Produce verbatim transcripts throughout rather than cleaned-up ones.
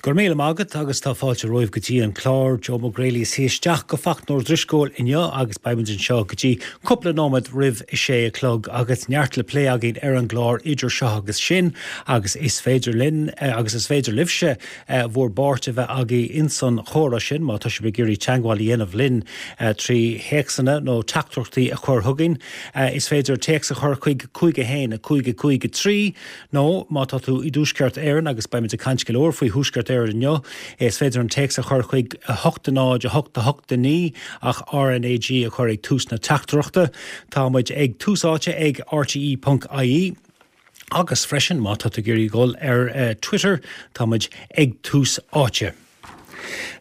Go raibh míle maith agat agus tá fáilte romhaibh go dtí an clár Joe McGrailey is isteach go Fachna Drisceoil inniu agus beimid anseo go dtí cúpla nóiméad roimh a sé a chlog agus neart le plé againn ar an gclár idir seo agus sin agus is féidir linn eh, agus is féidir libhse eh, bhur bpáirt a bheith agaibh insan chomhrá sin má tá sibh ag iarraidh teagmháil a dhéanamh linn eh, trí théacsanna nó teachtaireachtaí a chur chugainn. Is féidir téacs a chur chuig cúig a haon a cúig a cúig a trí nó má tá tú i dTuaisceart Éireann agus beimid ag caint go leor faoi Thuaisceart Éireann inniu is féidir an téacs a chur chuig a hocht a náid a hocht a hocht a naoi ach RnaG a chur ag tús na teachtaireachta. Tá muid ag Tús Áite ag RTE.ie. Agus freisin má tá tú ag iarraidh dul ar uh, Twitter tá muid ag Tús Áite.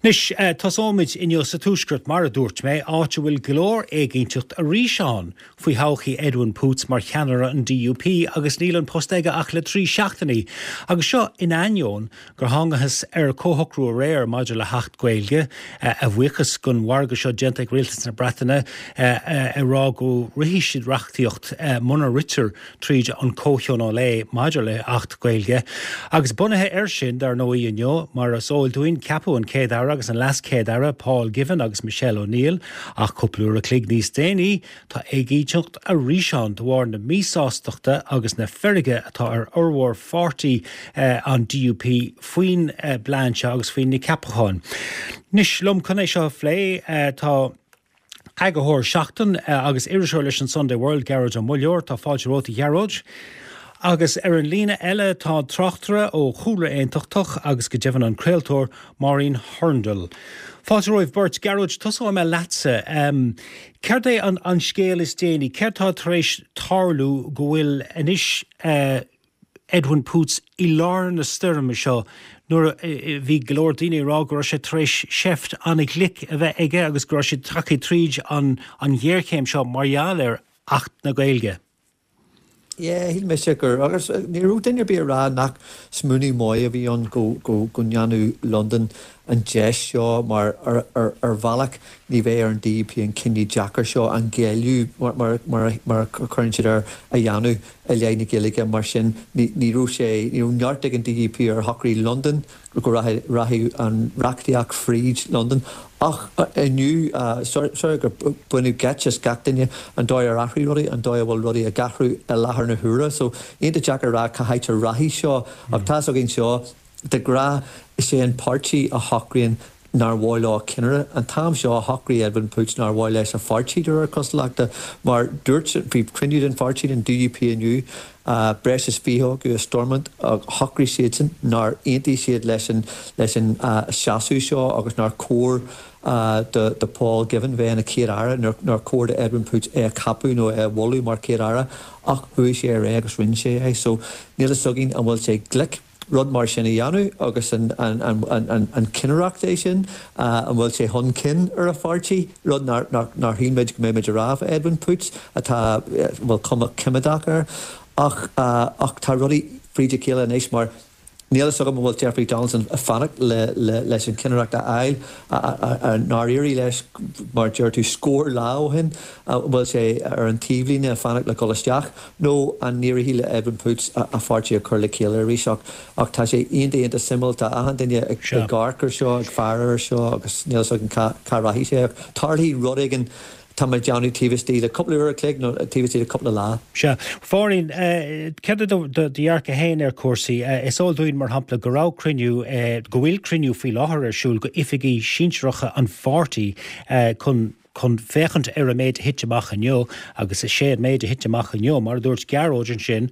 Anois uh, tosóimid inniu sa tuaisceart mar a dúirt mé áit a bhfuil go leor éiginnteacht arís ann faoi thodhchaí Edwin Poots mar cheannaire an DUP agus níl an post aige ach le trí seachtainí. Agus seo in ainneoin gur thángthas ar comhshocrú aréir maidir le hAcht Gaeilge a bhuíochas don mhargadh seo déanta ag Rialtas na Breataine ag rá go rithfidh siad reachtaíocht muna ritear tríd an comhthionól é maidir le hAcht Gaeilge. Agus bunaithe air sin dar ndóigh inniu mar is eol dúinn ceapadh an Chéad Aire agus an LeasChéad Aire Paul Givan agus Michelle O'Neill ach cúpla uair a chloig níos déanaí tá éiginnteacht arís ann de bharr na míshástachta agus na feirge atá ar fhormhór pháirtí eh, an DUP faoin eh, bplean seo agus faoin na ceapacháin. Anois liom chun é seo a phlé eh, tá Eagarthóir Seachtain agus iriseoir leis an Sunday World Gearóid Ó Muilleoir tá fáilte romhat a Ghearóid. Agus ar an líne eile tá tráchtaire ó chúlra aontachtach agus go deimhin an craoltóir Máirín Hurndall. Fáilte romhaibh beirt Gearóid tosóidh mé leatsa. Um, Céard é an, an scéal is déanaí, Céard tá tar éis tarlú go bhfuil anois uh, Edwin Poots i lár na stoirme seo nuair a bhí go leor daoine ag rá go raibh sé tar éis seift an-ghlic a bheith aige agus go raibh sé tagtha tríd an, an ghéarchéim seo mar gheall ar Acht na Gaeilge. Yeah, shíl mise gur agus ní raibh duine ar bith ag rá nach smaoineamh maith a bhí ann go go go ndéanadh Londain an deis seo mar ar, ar, ar bhealach ní bheidh ar an DUP an cinneadh deacair seo an géilleadh mar, mar, mar, mar a chuireann siad air a dhéanamh i leith na Gaeilge mar sin ní, ní raibh sé ní raibh neart ag an DUP ar shocraigh Londain go rachaidh an reachtaíocht fríd Londain ach inniu sorry gur baineadh geit as gach duine an dóigh ar athraigh rudaí an dóigh a bhfuil rudaí ag athrú i láthair na huaire so iontach deacair rá cá háit a rachaidh seo ach tá againn seo de ghnáth is é an páirtí a shocraíonn nár mhaith leo ceannaire an t-am seo a shocraigh Edwin Poots nár mhaith leis a pháirtí de réir cosúlachta mar dúirt bhí cruinniú den pháirtí den DUP inniu uh, breis is fiche acu i Stormont shocraigh siadsan nár aontaigh siad leis an leis an uh, seasamh seo agus nár chóir uh, do, do Paul Givan bheith ina chéad aire nár chóir do Edwin Poots é a cheapadh nó é a mholadh mar chéad aire ach chuaigh sé ar aghaidh agus rinne sé é so níl a fhios againn an bhfuil sé glic rud mar sin a dhéanamh agus an, an, an, an, an, an cinnireacht é sin uh, an bhfuil sé chun cinn ar a pháirtí rud nár shíl muid go mbeimid ag rá Edwin Poots atá bhfuil cuma coimeádach air ach uh, ach tá rudaí fríd a chéile anois mar Níl a fhios agam bhfuil Jeffrey Donaldson ag fanacht le, le, leis an cinnireacht a fháil nár éirigh leis mar deir tú scór lá ó shin bhfuil sé ar an taobhlíne ag fanacht le dul isteach nó an n-éireoidh le Edwin Poots a, a pháirtí a chur le chéile arís ach ach tá sé iontach iontach suimiúil tá achan duine ag amharc air seo ag faire air seo agus níl a fhios againn cá, cá rachaidh sé tarlóidh rud éigin tá mé ag déanamh taobh istigh le cúpla uair a chloig nó taobh istigh le cúpla lá. Sea Mháirín céard é do dhearcadh féin ar chúrsaí is eol dúinn mar shampla go raibh cruinniú go bhfuil cruinniú faoi láthair ar siúl go oifigigh sinsearacha an pháirtí chun chun féachaint ar an méid a thit amach inniu agus is é an méid a thit amach inniu mar a dúirt Gearóid ansin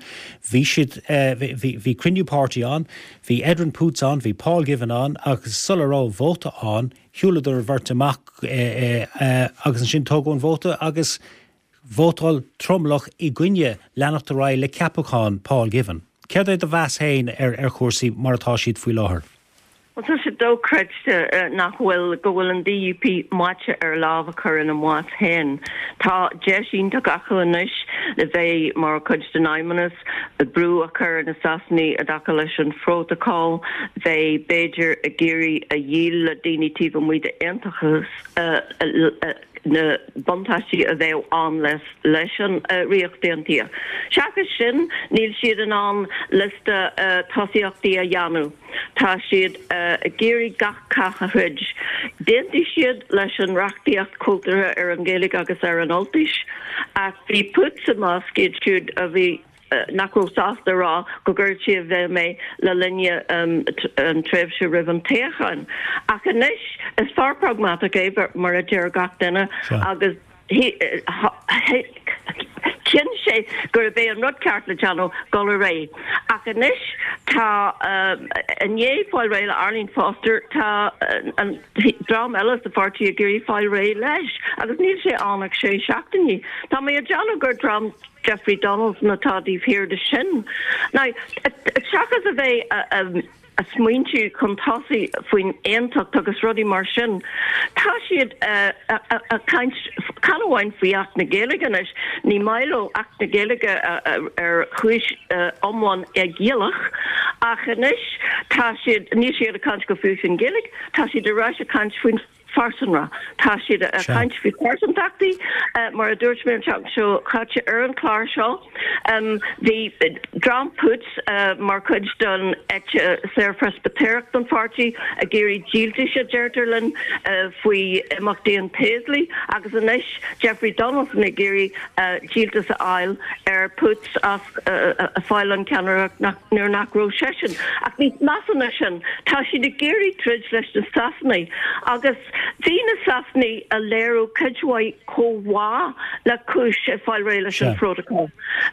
bhí siad bhí cruinniú páirtí ann, bhí Edwin Poots ann, bhí Paul Givan ann agus sula raibh vóta ann, shiúladar an bheirt amach agus ansin tógadh an vóta agus vótáil tromlach i gcoinne leanacht ar aghaidh le ceapachán Paul Givan. Céard é do mheas féin ar ar chúrsaí mar atá siad faoi láthair? Well tá sé dochreidte nach bhfuil go bhfuil an DUP maite ar lámh a chur ina mbás féin. Tá deis iontach acu anois le bheith mar chuid den fheidhmeannas brú a chur na Sasanaigh i dtaca leis an phrótacal, bheith b'fhéidir ag iarraidh a dhíol le daoine taobh amuigh d'aontachas na buntáistí a bheadh ann leis leis an Ríocht Aontaithe. Seachas sin, níl siad in ann liosta tosaíochtaí a dhéanamh. Tá siad ag iarraidh gach cath a throid. D'aontaigh siad leis an reachtaíocht cultúrtha ar an Ghaeilge agus ar an Ultais, ach bhí Poots i measc iad siúd a bhí nach raibh sásta a rá go gcuirfí i bhfeidhm é le linn an tréimhse roimh an toghchán. Ach anois is fear pragmatach é mar a deir gach duine agus chinn sé gurb é an rud ceart le déanamh dul ar aghaidh. Ach anois tá i ndiaidh fáil réidh le Arlene Foster tá an dream eile sa pháirtí ag iarraidh fáil réidh leis agus níl sé ann ach sé seachtainí. Tá mé ag déanamh gur dream Jeffrey Donaldson atá taobh thiar de sin. Now, seachas a bheith ag smaointiú chun tosaigh faoin aontacht agus rudaí mar sin, tá siad ag caint chan amháin faoi Acht na Gaeilge anois, ní maith leo Acht na Gaeilge ar chúis iomlán éigiallach, ach anois tá siad, níl siad ag caint go fiú faoin Ghaeilge, tá siad ar ais ag caint faoin phearsanra. Tá siad ag caint faoi phearsantachtaí, mar a dúirt mé an tseachtain seo caite ar an chlár seo. Bhí dream Poots mar chuid den eite saor-Phreispitéireach den pháirtí ag iarraidh díoltais, a deirtear linn, faoi imeacht Ian Paisley agus anois Jeffrey Donaldson ag iarraidh díoltas a fháil ar Poots as fáil an ceannaireacht nuair nach raibh seisean. Ach níos measa ná sin, tá siad ag iarraidh troid leis na Sasanaigh agus bhí na Sasanaigh ag léiriú cuid mhaith comhbhá le cúis ag fáil réidh leis an Phrótacal.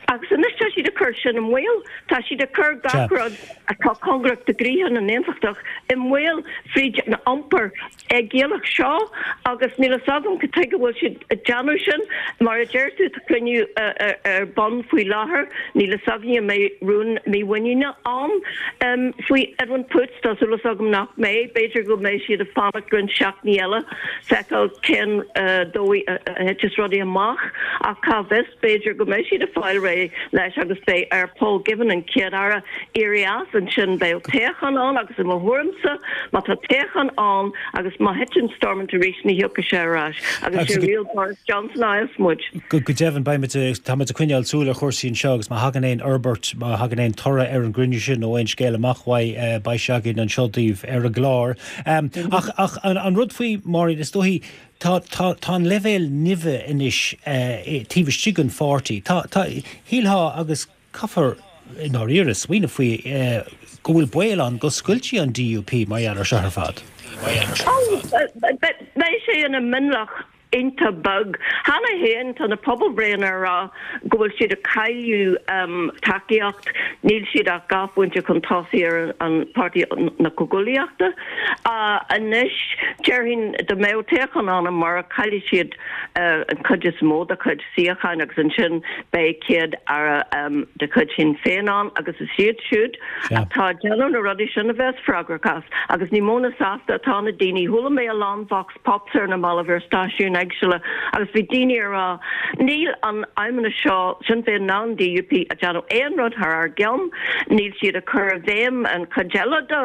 Agus anois tá siad ag cur sin i mbaol. Tá siad ag cur gach rud atá cóngarach do chroíthe na n-aontachtach i mbaol fríd an iompar éigiallach seo agus níl fhios agam cad tuige a bhfuil siad ag déanamh sin. Mar a deir tú, tá cruinniú ar bun faoi láthair. Níl fhios againn an mbeidh rún mímhuiníne ann faoi Edwin Poots. Tá súil agam nach mbeidh. B'fhéidir go mbeidh siad ag fanacht roinnt seachtainí eile feiceáil cén dóigh a thiteas rudaí amach ach cá bhfios, b'fhéidir go mbeidh siad ag fáil réidh leis agus beidh ar Paul Givan, an Chéad-Aire, éirí as. Ansin beidh toghchán ann agus i mo thuairimse má tá toghchán ann agus má thiteann Stormont arís ní thiocfaidh sé ar ais agus sé riail Boris Johnson a fhaigheas muid. Go deimhin beimid, táimid ag coinneáil súil ar chúrsaí anseo agus má thagann aon fhorbairt, má thagann aon toradh ar an gcruinniú sin nó aon scéal amach uaidh beidh sé againn anseo daoibh ar an gclár. Ach ach an rud faoi Máirín, is dóichí tá tá tá an leibhéal nimhe anois taobh istigh den pháirtí. Tá tá shílfeá agus caithfear i ndáiríre smaoineamh faoi go bhfuil baol ann go scoiltfí an DUP mar gheall ar seo ar fad. Beidh sé ina mionlach iontach beag. Cheana féin tá na pobalbhreitheanna ag rá go bhfuil siad ag cailleadh tacaíocht, níl siad ach dhá phointe chun tosaigh ar an Páirtí na Comhghuaillíochta. Anois, déarfainn dá mbeadh toghchán ann amárach, caillfidh siad an chuid is mó dá gcuid suíocháin agus ansin beidh Céad-Aire de chuid Shinn Féin ann agus is iad siúd atá ag déanamh na rudaí sin a bheas freagrach as. Agus ní mó ná sásta atá na daoine. Chuala mé a lán vox pops ar na mallaibh ar stáisiúin éagsúla agus bhí daoine ag rá, níl an Feidhmeannas seo, Sinn Féin ná an DUP, ag déanamh aon rud thar ár gceann, níl siad ag cur i bhfeidhm an chuid eile de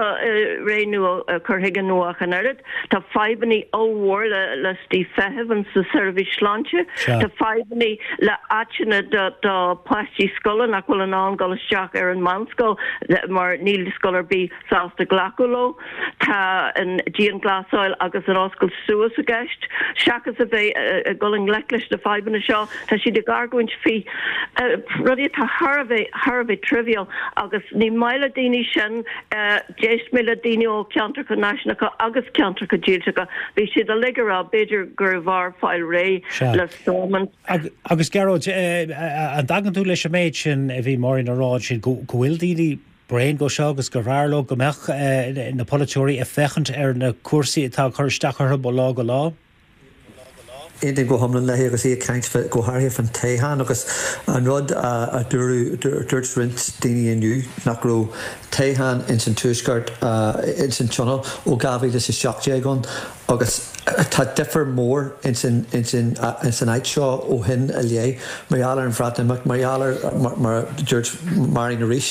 ré nua, cur chuige nua ach an oiread. Tá fadhbanna ollmhór le liostaí feithimh sa seirbhís sláinte, tá fadhbanna le áiteanna do do pháistí scoile nach bhfuil in ann dul isteach ar an meánscoil mar níl scoil ar bith sásta glacadh leo. Tá an dianghlasáil agus an oscailt suas i gceist. Seachas a bheith ag dul i ngleic leis na fadhbanna seo, tá siad ag argóint faoi rudaí atá thar a bheith, thar a bheith trivial agus ní maith le daoine sin. D'éist mé le daoine ó cheantracha náisiúnacha agus ceantracha dílseacha, bhí siad uilig ag rá b'fhéidir gurbh fhearr fáil réidh le Stormont. Agus Gearóid, an dtagann tú leis an méid sin a bhí Máirín a rá ansin, go bhfuil daoine bréan de seo agus gurbh fhearr leo go mbeadh na polaiteoirí ag féachaint ar na cúrsaí atá ag cur isteach orthu ó lá go lá? Aontaím go hiomlán léi agus í ag caint go háirithe faoin toghchán agus an rud a dúradh, dúirt roinnt daoine inniu nach raibh toghchán ins an Tuaisceart, ins an Tionól ó dhá mhíle is a seacht déag ann Agus tá difear mór ins an áit seo ó shin i leith, mar gheall ar an Bhreatimeacht, mar gheall ar, mar a dúirt Máirín arís,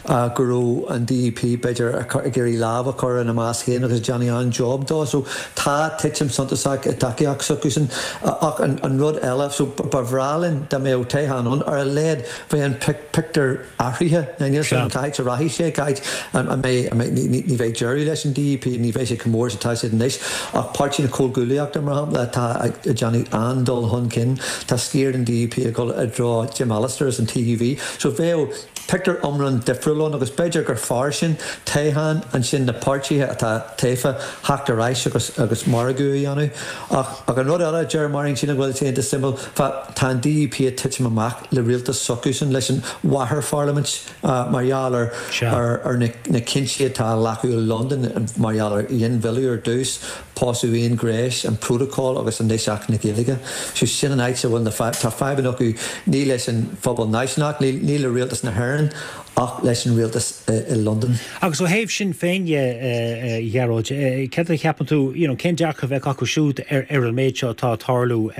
go raibh an D U P b'fhéidir ag iarraidh lámh a chur ina mbás féin agus ag déanamh an-job dó. So tá titim suntasach i dtacaíocht s'acusan. Ach an rud eile, so ba bhreá linn dá mbeadh toghchán ann, ar a laghad bheadh an pictiúr athraithe. Níl 'fhios agam cá háit a rachaidh sé, cá háit a mbeidh, ní bheidh deireadh leis an D U P, ní bheidh sé chomh mór is atá siad anois. Ach Páirtí na Comhghuaillíochta, mar shampla, atá ag déanamh an-dul chun cinn, tá sciar den D U P ag dul i dtreo Jim Allister agus an T U V. So bheadh pictiúr iomlán difriúil ann agus b'fhéidir gur fearr sin, toghchán, ansin na páirtithe atá tofa theacht ar ais agus agus margadh a dhéanamh. Ach ach an rud eile a deir Máirín, sílim go bhfuil sé iontach suimiúil, tá an D U P ag titim amach le rialtas s'acusan, leis an mháthairpharlaimint mar gheall ar ar ar na na cinntí atá á nglacadh i Londain mar gheall ar ghinmhilleadh ar dtús, pósadh aonghnéis, an Protocol agus anois Acht na Gaeilge. So sin an áit a bhfuil na fadhb, tá fadhbanna acu ní leis an phobal náisiúnach, ní ní le rialtas na hÉireann ach leis an rialtas i Londain. Agus ó thaobh Sinn Féin dhe, a Ghearóid, céard a cheapann tú, you know, cén dearcadh a bheadh acu siúd ar ar an méid seo atá ag tarlú?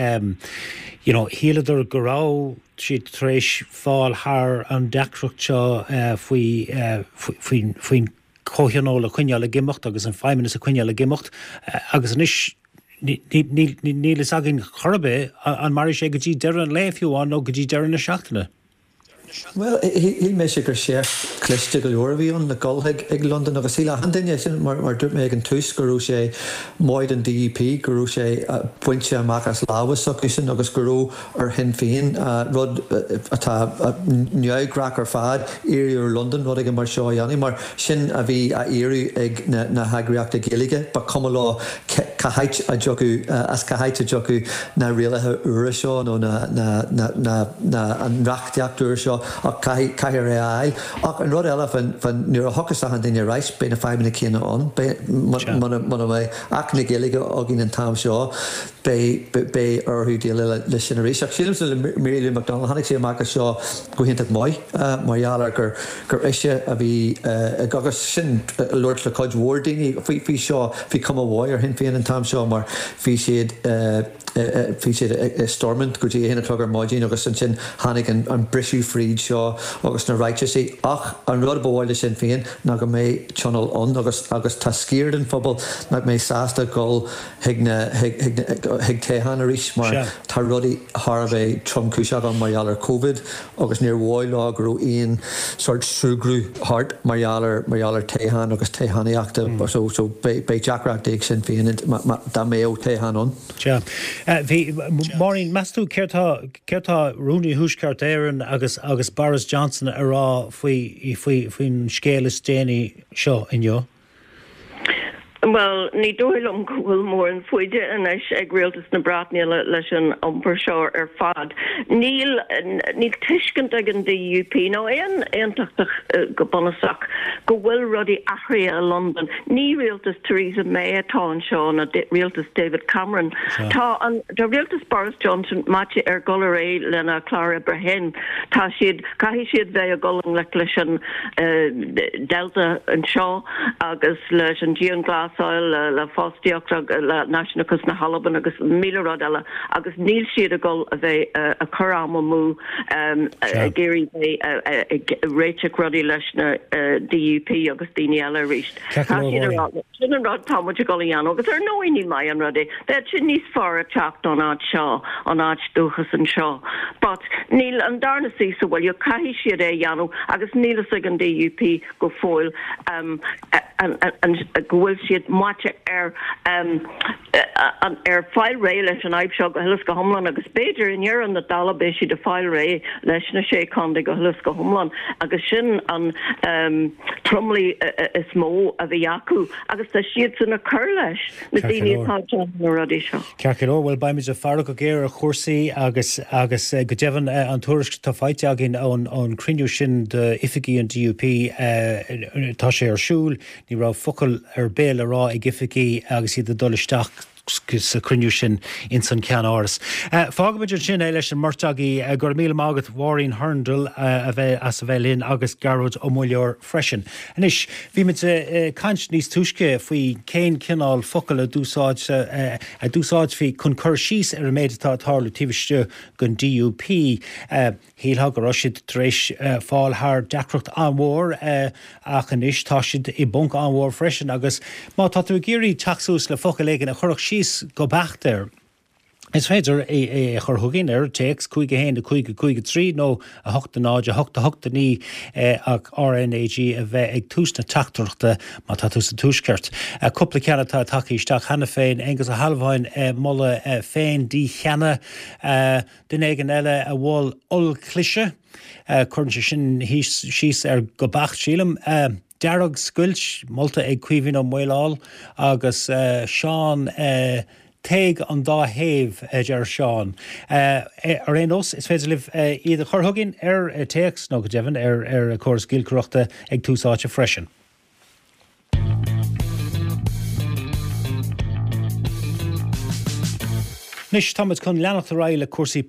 You know, shíleadar go raibh siad tar éis fáil thar an deacracht seo faoi faoin faoin Comhthionól a choinneáil ag imeacht agus an Feidhmeannas a choinneáil ag imeacht agus anois níl fhios againn chor ar bith an mairfidh sé go dtí deireadh an lae fiú amháin nó go dtí deireadh na seachtaine. Bhuel, shíl mise gur seift cliste go leor a bhí ann le dul chuig Londain agus shíl achan duine, sin mar mar dúirt mé ag an tús, go raibh sé maith don D U P, go raibh sé bainte amach as lámha s'acusan agus go raibh ar Shinn Féin, rud atá neamhghnách ar fad, iarraidh ar Londain rud éigin mar seo a dhéanamh, mar sin a bhí á iarraidh ag na heagraíochtaí Gaeilge, ba chuma leo cá háit a dtiocfadh, as cá háit a dtiocfadh na rialacha úra seo nó na, na, na, na, na, an reachtaíocht úr seo ach caithfidh, caithfear é a fháil. Ach an rud eile fan, fan, nuair a thiocfas achan duine ar ais, beidh na fadhbanna céanna ann. Beidh, muna, muna mbeidh Acht na Gaeilge againn an t-am seo, beidh, beidh orthu déileáil leis sin arís. Ach sílimse le Mary Lou McDonald, tháinig sí amach as seo go hiontach maith mar gheall ar gur, gur ise a bhí ag, agus sin ag labhairt le cuid mhór daoine faoi, faoi seo, bhí cuma mhaith ar Shinn Féin an t-am seo mar bhí siad, bhí siad i Stormont go dtí a haon a chlog ar maidin agus ansin tháinig an, an briseadh fríd seo agus na ráitisí. Ach an rud ba mhaith le Sinn Féin ná go mbeidh tionól ann agus, agus tá sciar den phobal nach mbeidh sásta dul chuig na, chuig, chuig na, chuig toghchán arís mar Sea. tá rudaí thar a bheith tromchúiseach ann mar gheall ar Covid agus níor mhaith leo go raibh aon sórt súgradh thart mar gheall ar, mar gheall ar toghchán agus toghchánaíochta so, so beidh, beidh deacrachtaí ag Sinn Féin má, má, dá mbeadh toghchán ann. Sea. Bhí, Máirín, meas tú céard tá, céard tá Rúnaí Thuaisceart Éireann agus, agus Boris Johnson a rá faoi, faoi, faoin scéal is déanaí seo inniu? Bhuel, ní dóigh liom go bhfuil mórán foighde anois ag rialtas na Breataine leis an iompar seo ar fad. Níl níl tuiscint ag an D U P nó aon aontachtach go bunúsach go bhfuil rudaí athraithe i Londain. Ní rialtas Theresa May atá anseo ná rialtas David Cameron. Tá an tá rialtas Boris Johnson meáite ar dhul ar aghaidh lena chlár oibre féin. Tá siad caithfidh siad bheith ag dul i ngleic leis an Delta anseo agus leis an dianghlasáil le le fostaíocht le náisiúnachas na hAlban agus míle rud eile agus níl siad ag dul a bheith ag cur am amú ag iarraidh bheith ag réiteach rudaí leis na D U P agus daoine eile arís. Tá siad ag rá sin an rud tá muid ag dul a dhéanamh agus ar ndóigh ní maith an rud é. Bheadh sé níos fearr a teacht ón áit seo, an áit dúchas anseo. But níl an darna suí sa bhaile, caithfidh siad é a dhéanamh agus níl fhios ag an D U P go fóill um, an, an, an, go bhfuil siad meáite ar um, an, ar fáil réidh leis an fhadhb seo go huile is go hiomlán agus b'fhéidir i ndeireadh na dála beidh siad ag fáil réidh leis na sé chontae go huile is go hiomlán agus sin an um, tromluí is mó a bhí acu agus tá siad san ag cur leis na daoine atá na rudaí seo. Ceart go leor, bhuel beimid ag faire go géar ar chúrsaí agus agus go deimhin an tuairisc atá faighte againn ón ón cruinniú sin d'oifigigh an D U P tá sé ar siúl, ní raibh focal ar bith le rá ag oifigigh agus iad ag dul isteach. sa chruinniú sin ins an Ceannáras. Fágfaimid ansin é leis an mbeirt agaibh. Go raibh míle maith agat, Máirín Hurndall, a bheith as a bheith linn agus Gearóid Ó Muilleoir freisin. Anois, bhí muid ag caint níos túisce faoi cén cineál focal a d'úsáid a d'úsáidfí chun cur síos ar an méid atá ag tarlú taobh istigh den D U P. Shílfeá go raibh siad tar éis fáil thar deacracht an-mhór ach anois tá siad i bponc an-mhór freisin agus má tá tú ag iarraidh teacht suas le focal éigin a chuirfeadh síos go beacht air, is féidir é a chur chugainn ar téacs cúig a haon a cúig a cúig a trí nó a hocht a náid a hocht a hocht a naoi ach R N A G a bheith ag tús na teachtaireachta má tá tú sa Tuaisceart. Cúpla ceann atá tagtha isteach cheana féin, Aengus Ó hAlmhain, moladh féin-dícheannadh, duine éigin eile a mhol ollchliseadh, cuireann sé sin síos air go beacht, sílim. Dearg-scoilt molta ag Caoimhín Ó Maoláil agus Seán. Téigh an dá thaobh, a deir Seán. Ar aon nós, is féidir libh iad a chur chugainn ar téacs nó go deimhin ar ar córas giolcaireachta ag Tús Áite freisin. Anois táimid chun leanacht ar aghaidh le cúrsaí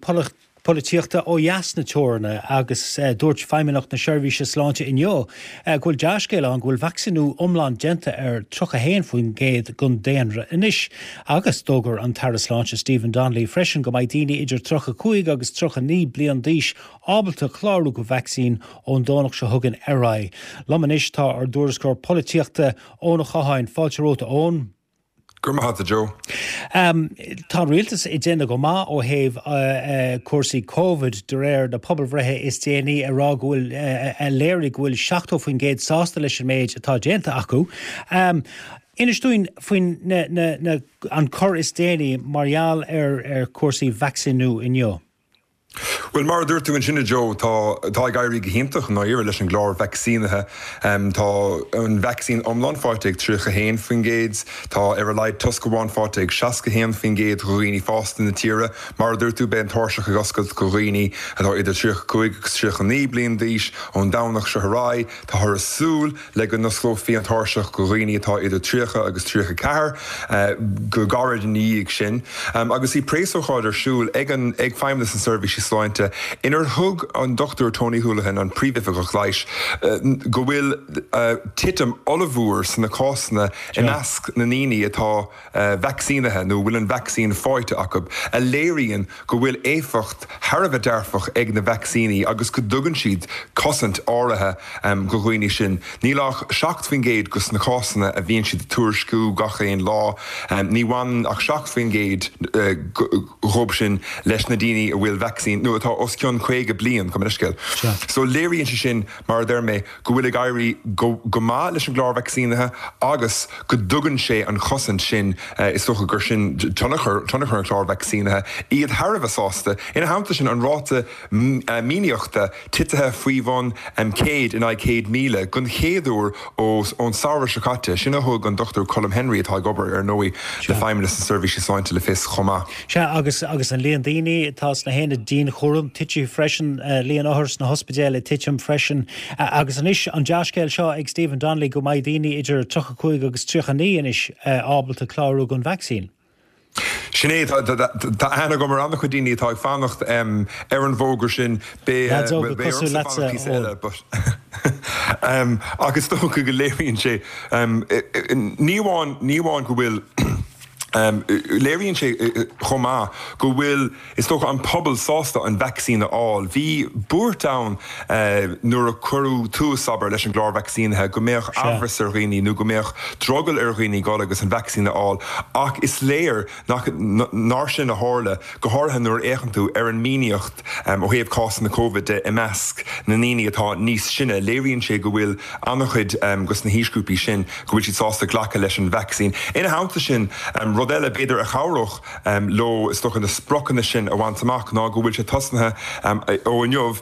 polaitíochta ó dheas na teorann agus dúirt Feidhmeannacht na Seirbhíse Sláinte inniu go bhfuil dea-scéal ann go bhfuil vacsaíniú iomlán déanta ar tríocha a haon faoin gcéad den daonra anois agus d'fhógair an tAire Sláinte Stephen Donnelly freisin go mbeidh daoine idir tríocha a cúig agus tríocha a naoi bliain d'aois ábalta clárú go vacsaín ón Domhnach seo chugainn ar aghaidh. Liom anois tá ár dtuairisceoir polaitíochta Eoin Ó Catháin. Fáilte romhat, a Eoin. Go raibh maith agat, a Joe. Tá an rialtas ag déanamh go maith ó thaobh cúrsaí Covid de réir na pobalbhreithe is déanaí a rá go bhfuil a léirigh go bhfuil seachtó faoin gcéad sásta leis an méid atá déanta acu. Inis dúinn faoin an cor is déanaí mar gheall ar ar chúrsaí vacsaíniú inniu. Bhuel, mar a dúirt tú ansin, a Joe, tá tá ag éirí go hiontach i ndáiríre leis an gclár vacsaínithe. Tá an vacsaín iomlán faighte ag tríocha a haon faoin gcéad, tá ar a laghad toisc amháin faighte ag seasca a haon faoin gcéad de dhaoine fásta na tíre. Mar a dúirt tú, beidh an tairseach ag oscailt do dhaoine atá idir tríocha a cúig agus tríocha a naoi bliain d'aois ón Domhnach seo ar aghaidh. Táthar ag súil le go n-osclófaí an tairseach do dhaoine atá idir tríocha agus tríocha a ceathair go gairid ina dhiaidh sin. Agus bhí preasócáid ar siúl ag an ag Feidhmeannas na Seirbhíse Sláinte inar thug an Dochtúir Tony Holohan, an Príomhoifigeach Leighis, go bhfuil titim ollmhór sna cásanna i measc na ndaoine atá vacsaínithe nó bhfuil an vacsaín faighte acu, a léiríonn go bhfuil éifeacht thar a bheith dearfach ag na vacsaíní agus go dtugann siad cosaint áirithe do dhaoine sin. Níl ach seacht faoin gcéad de na cásanna a bhíonn siad ag tuairisciú gach aon lá, ní bhaineann ach seacht faoin gcéad dhóibh sin leis na daoine a bhfuil vacsaín nó atá os cionn caoga bliain, gabh mo leithscéal. So léiríonn sé sin, mar a deir mé, go bhfuil ag éirí go go maith leis an gclár vacsaínithe agus go dtugann sé an chosaint sin, is dócha gur sin tionchar tionchar an chláir vacsaínithe, iad thar a bheith sásta. Ina theannta sin, an ráta míníochta titithe faoi bhun céad in aghaidh céad míle den chéad uair ó ón samhradh seo caite, sin a thug an Dochtúir Colm Henry, atá ag obair ar ndóigh le Feidhmeannas na Seirbhíse Sláinte, le fios chomh maith. Sea, agus agus an líon daoine atá sna haonaid dianchúraim tite freisin, líon othar sna hospidéil ag titim freisin. Agus anois an dea-scéal seo ag Stephen Donnelly go mbeidh daoine idir tríocha cúig agus tríocha naoi anois ábalta clárú don vacsaín. Sin é, tá aithne agam ar an-chuid daoine atá ag fanacht ar an bhfógra sin. Beidh Leaids óga beidh cosúil ormsa leatsa, fanacht píosa Eoin. eile but ach is dócha go léiríonn sé ní amháin ní amháin go bhfuil léiríonn sé chomh maith go bhfuil, is dócha, an pobal sásta an vacsaín a fháil. Bhí buairt ann nuair a cuireadh tús, abair, leis an gclár vacsaínithe go mbeadh Sea. amhras ar dhaoine nó go mbeadh drogall ar dhaoine dul agus an vacsaín a fháil ach is léir nach nár sin a tharla, go háirithe nuair a fhéachann tú ar an míníocht ó thaobh cásanna Covid de i measc na ndaoine atá níos sine. Léiríonn sé go bhfuil an-chuid de na haoisghrúpaí sin go bhfuil siad sásta glacadh leis an vacsaín. Ina theannta sin, rud eile b'fhéidir a chabhródh leo is dócha na spriocanna sin a bhaint amach ná go bhfuil sé tosnaithe ó inniu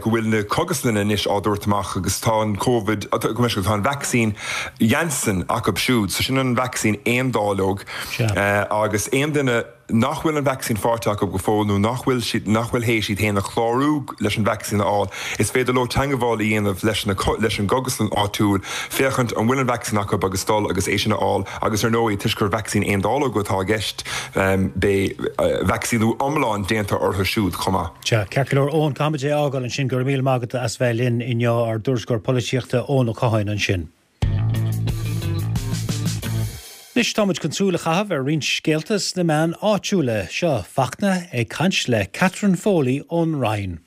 go bhfuil na cógaslanna anois á dtabhairt amach agus tá an Covid, tá an vacsaín Janssen acu siúd, so sin an vacsaín aon dáileog agus aon duine. nach bhfuil an vacsaín faighte acu go fóill nó nach bhfuil siad nach bhfuil théis iad féin a chlárú leis an vacsaín a fháil, is féidir leo teagmháil a dhéanamh leis na leis an gcógaslann áitiúil féachaint an bhfuil an vacsaín acu agus dul agus é sin a fháil agus ar ndóigh toisc gur vacsaín aon dáileog atá i gceist beidh vacsaíniú iomlán déanta orthu siúd chomh maith. Sea, ceart go leor Eoin, caithfimid é a fhágáil ansin, go raibh míle maith agat as bheith linn inniu, ár dtuairisceoir polaitíochta Eoin Ó Catháin ansin. Anois táimid chun súil a chaitheamh ar roinnt scéalta sna meáin áitiúla. Seo Fachtna ag caint le Catherine Foley ón Rinn.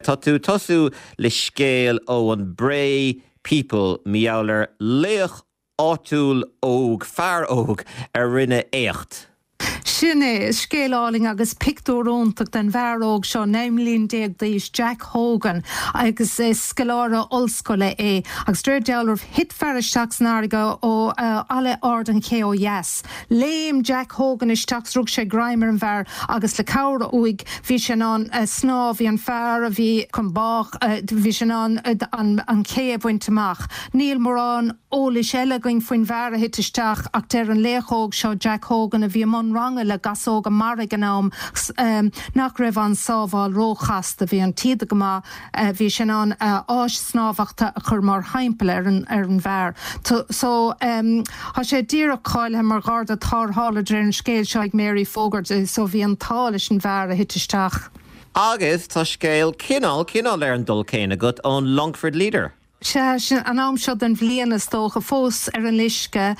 Tá tú ag tosú le scéal ó an Bray People mar gheall ar laoch áitiúil óg, fear óg a rinne éacht. Sin é, scéal álainn agus pictiúr iontach den bhfear óg seo, naoi mbliana déag d'aois, Jack Hogan, agus is scoláire ollscoile é. Agus de réir dealraimh, thit fear isteach san fharraige ó Fhalla Ard an Ché ó dheas. Léim Jack Hogan isteach 's rug sé greim ar an bhfear agus le cabhair uaidh bhí sé in ann snámh, bhí an fear a bhí chun báis, bhí sé in ann an ché a bhaint amach. Níl mórán eolais eile againn faoin bhfear a thit isteach ach deir an laoch óg seo, Jack Hogan, a bhí i mbun ranga le gasóga mara ag an am, nach raibh an sábháil róchasta, bhí an taoide go maith, bhí sé in ann áis snámhachta a chur mar thimpeall ar an ar an bhfear. So tá sé díreach cáilithe mar gharda tarrthála de réir an scéil seo ag Mary Fogarty, so bhí an t-ádh leis an bhfear a thit isteach. Agus tá scéal cineál, cineál ar an dul céanna agat ón Longford Leader. Sea, sin an am seo den bhliain is dócha, fós ar an uisce.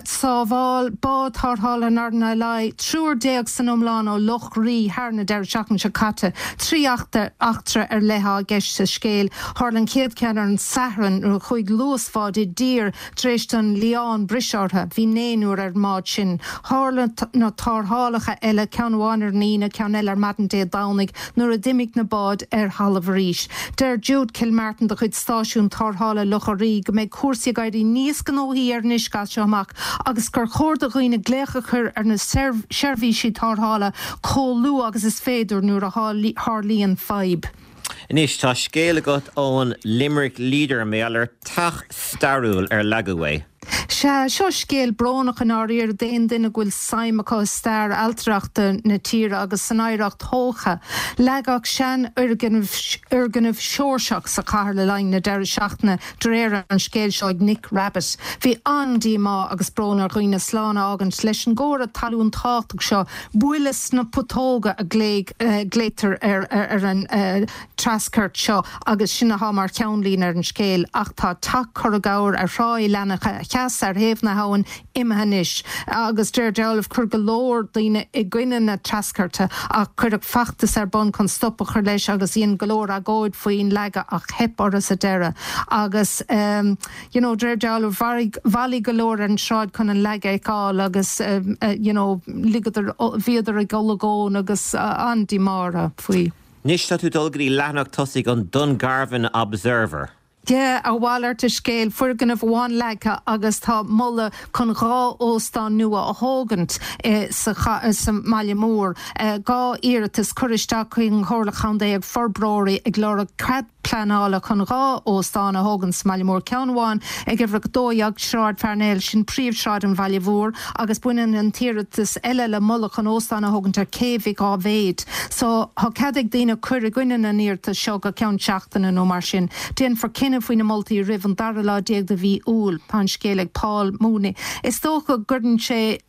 Sábháil bád tarrthála an RNLI, triúr déag san iomlán ó Loch Rí thar na deireadh seachtaine seo caite. Trí eachtra ar leith atá i gceist sa scéal. Tharla an chéad cheann ar an Satharn nuair a chuaigh luasbhád i dtír tar éis don lián briseadh orthu. Bhí naonúr ar an mbád sin. Tharla na tarrthálacha eile, ceann amháin ar an Aoine, ceann eile ar maidin Dé Domhnaigh, nuair a d'imigh na báid ar thalamh arís. Deir Jude Kilmartin de chuid stáisiún Tarrthála Locha Rí go mbeidh cúrsaí ag éirí níos gnóthaí ar an uisce as seo amach agus gur chóir do dhaoine glaoch a chur ar na seirbhísí tarrthála chomh luath agus is féidir nuair a tharlaíonn fadhb. Anois tá scéal agat ón Limerick Leader mar gheall ar teach stairiúil ar leagadh é. Sea, seo scéal brónach i ndáiríre d'aon duine go bhfuil suim acu i stair ailtireachta na tíre agus san oidhreacht thógtha. Leagadh seanfhoirgneamh Seoirseach sa chathair le linn na deireadh seachtaine, de réir an scéil seo ag Nick Rabbitte. Bhí an-díomá agus brón ar dhaoine slán a fhágaint leis an gcomhartha talún tábhachtach seo, buille sna putóga a ghlaotar ar an treascairt seo agus sin atá mar cheannlíne ar an scéal. Ach tá Teach Curragower ar Thrá Uí Leannacha Theas ar thaobh na habhann imithe anois agus de réir dealraimh chuir go leor daoine i gcoinne na treascairte ach cuireadh feachtas ar bun chun stop a chur leis agus dhein go leor agóid faoin leagadh ach theip orthu sa deireadh agus you know de réir dealraimh bhailigh bhailigh go leor ar an tsráid chun an leagadh a fheiceáil agus you know ligeadar bhíodar ag olagón agus an-díomá orthu faoi. Anois tá tú ag dul go dtí leathanach tosaigh an Dungarvan Observer. Yeah, a mhalairt de scéal, foirgneamh amháin leagtha agus tá moladh chun dhá óstán nua a thógaint sa mbaile mór. Dhá iarratas curtha isteach chuig an Chomhairle Chontae ag forbróirí ag lorg cead pleanála chun dhá óstán a thógaint sa mbaile mór, ceann amháin ag uimhir a dó dhéag Sráid Pharnell, sin príomhshráid an bhaile mhóir, agus baineann an t-iarratas eile le moladh chun óstán a thógaint ar Cé Mhic Dháibhéid. So, tá cead ag daoine cur i gcoinne na n-iarratas seo go ceann seachtaine nó mar sin. Déanfar cinneadh faoi na moltaí roimh an dara lá déag de mhí Iúil. Tá an scéal ag Paul Mooney. Is dócha go gcuireann sé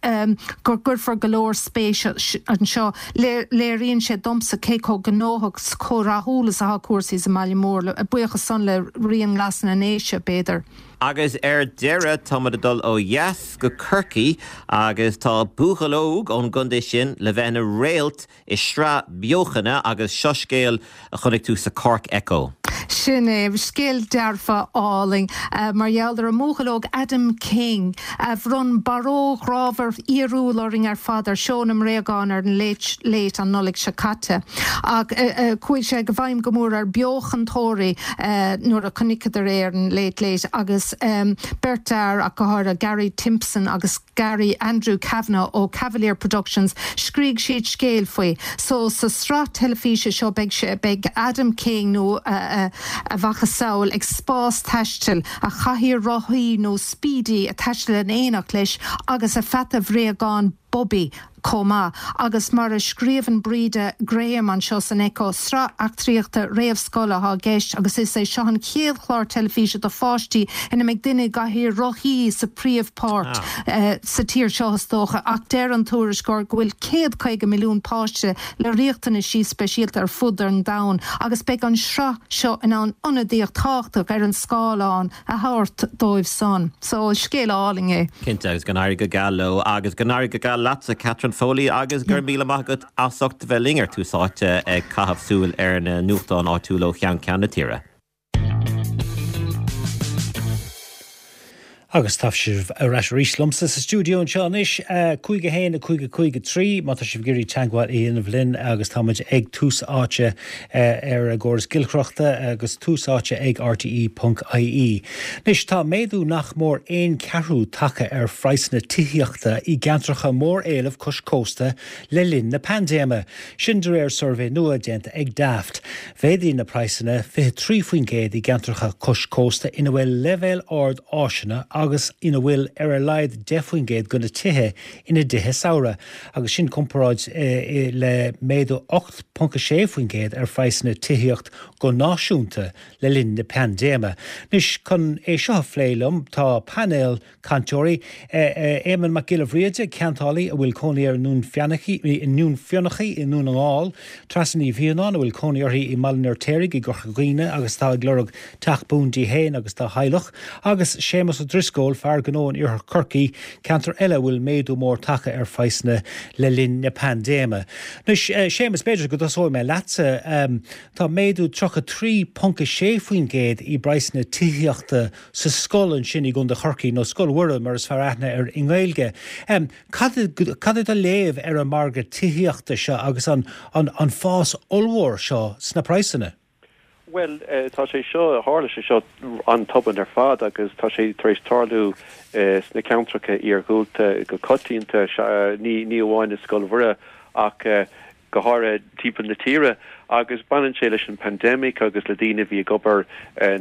go gcuirfear go leor spéise anseo. Léiríonn sé domsa cé chomh gnóthach 's chomh rathúil is atá cúrsaí sa mbaile mór, buíochas san le Rian Glas na nDéise, b'fhéidir. Agus ar deireadh, táimid ag dul ó dheas go Corcaigh agus tá buachaill óg ón gcontae sin le bheith ina réalt i sraith beochana agus seo scéal a chonaic tú sa Cork Echo. Sin é, scéal dearfa álainn mar gheall ar an mbuachaill óg Adam King a bhronn barróg ghrámhar fhíorúil orainn ar fad ar Seó na mBréagán ar an Late Late an Nollaig seo caite. Ach chuaigh sé i bhfeidhm go mór ar beochantóirí nuair a chonaiceadar é ar an Late Late agus beirt fhear ach go háirithe, Gary Timpson agus Gary Andrew Kavanagh ó Cavalier Productions, scrígh siad scéal faoi. So sa sraith teilifíse seo beidh sé, beidh Adam King nó a mhacasamhail ag spás-taisteal, a chathaoir rothaí nó Speedy ag taisteal in éineacht leis agus a pheata bhréagán Bobby chomh maith agus mar a scríobhann Breda Graham anseo san Echo sraith eachtraíochta réamhscoile atá i gceist agus is é seo an chéad chlár teilifíse do pháistí ina mbeidh duine i gcathaoir rothaí sa phríomhpháirt ah. uh, sa tír seo is dócha ach deir an tuairisceoir go bhfuil céad caoga milliún páiste le riachtanaisí speisialta ar fud an domhain agus beidh an sraith seo in ann ionadaíocht thábhachtach ar an scáileán a thabhairt dóibh san. So scéal álainn é. Cinnte agus go n-éirí go geal leo agus go n-éirí go geal leatsa Catherine Foley agus gur míle maith agat as ucht bheith linn ar Tús Áite ag caitheamh súil ar na nuachtáin áitiúla ó cheann ceann na tíre. Agus tá sibh ar ais arís liomsa sa stiúideo anseo anois cúig a haon a cúig a cúig a trí má tá sibh ag iarraidh teagmháil a dhéanamh linn agus táimid ag Tús Áite ar an gcóras giolcaireachta agus tús áite ag rte ponc ie. Anois tá méadú nach mór aon ceathrú tagtha ar phraghsanna tithíochta i gceantracha mór-éilimh cois cósta le linn na paindéime. Sin de réir suirbhé nua déanta ag Daft. Mhéadaigh na praghsanna fiche trí faoin gcéad i gceantracha cois cósta ina bhfuil leibhéal ard áiseanna agus ina bhfuil ar a laghad deich faoin gcéad de na tithe ina dtithe samhraidh, agus sin comparáid le méadú ocht ponc a sé faoin gcéad ar phraghsanna tithíocht go náisiúnta le linn na paindéime. Anois, chun é seo a phlé liom, tá painéal cainteoirí, Éamonn Mac Giolla Bhríde, ceantálaí a bhfuil cónaí air i nDún Fionnachaidh i nDún na nGall, Treasa Ní Mhianáin, a bhfuil cónaí uirthi i mBaile an Fheirtéaraigh i gCorca Dhuibhne agus atá ag lorg teach buan di féin agus dá theaghlach, agus Séamus Ó Drisceoil, fear gnó in Iarthar Chorcaí, ceantar eile a bhfuil méadú mór tagtha ar phraghsanna le linn na paindéime. Anois, Séamus, b'fhéidir go dtosóidh mé leatsa. Tá méadú tríocha trí ponc a sé faoin gcéad i bpraghsanna tithíochta sa Scol ansin i gContae Chorcaí, nó Scoil Mhuire mar is fearr aithne air i nGaeilge. Cad é do léamh ar an margadh tithíochta seo agus an an fás ollmhór seo sna praghsanna? Bhuel, tá sé seo, tharla sé seo an-tobann ar fad agus tá sé tar éis tarlú sna ceantracha iargúlta go coitianta, ní ní amháin i Scoil Mhuire ach go háirithe timpeall na tíre agus baineann sé leis an pandemic agus le daoine a bhí ag obair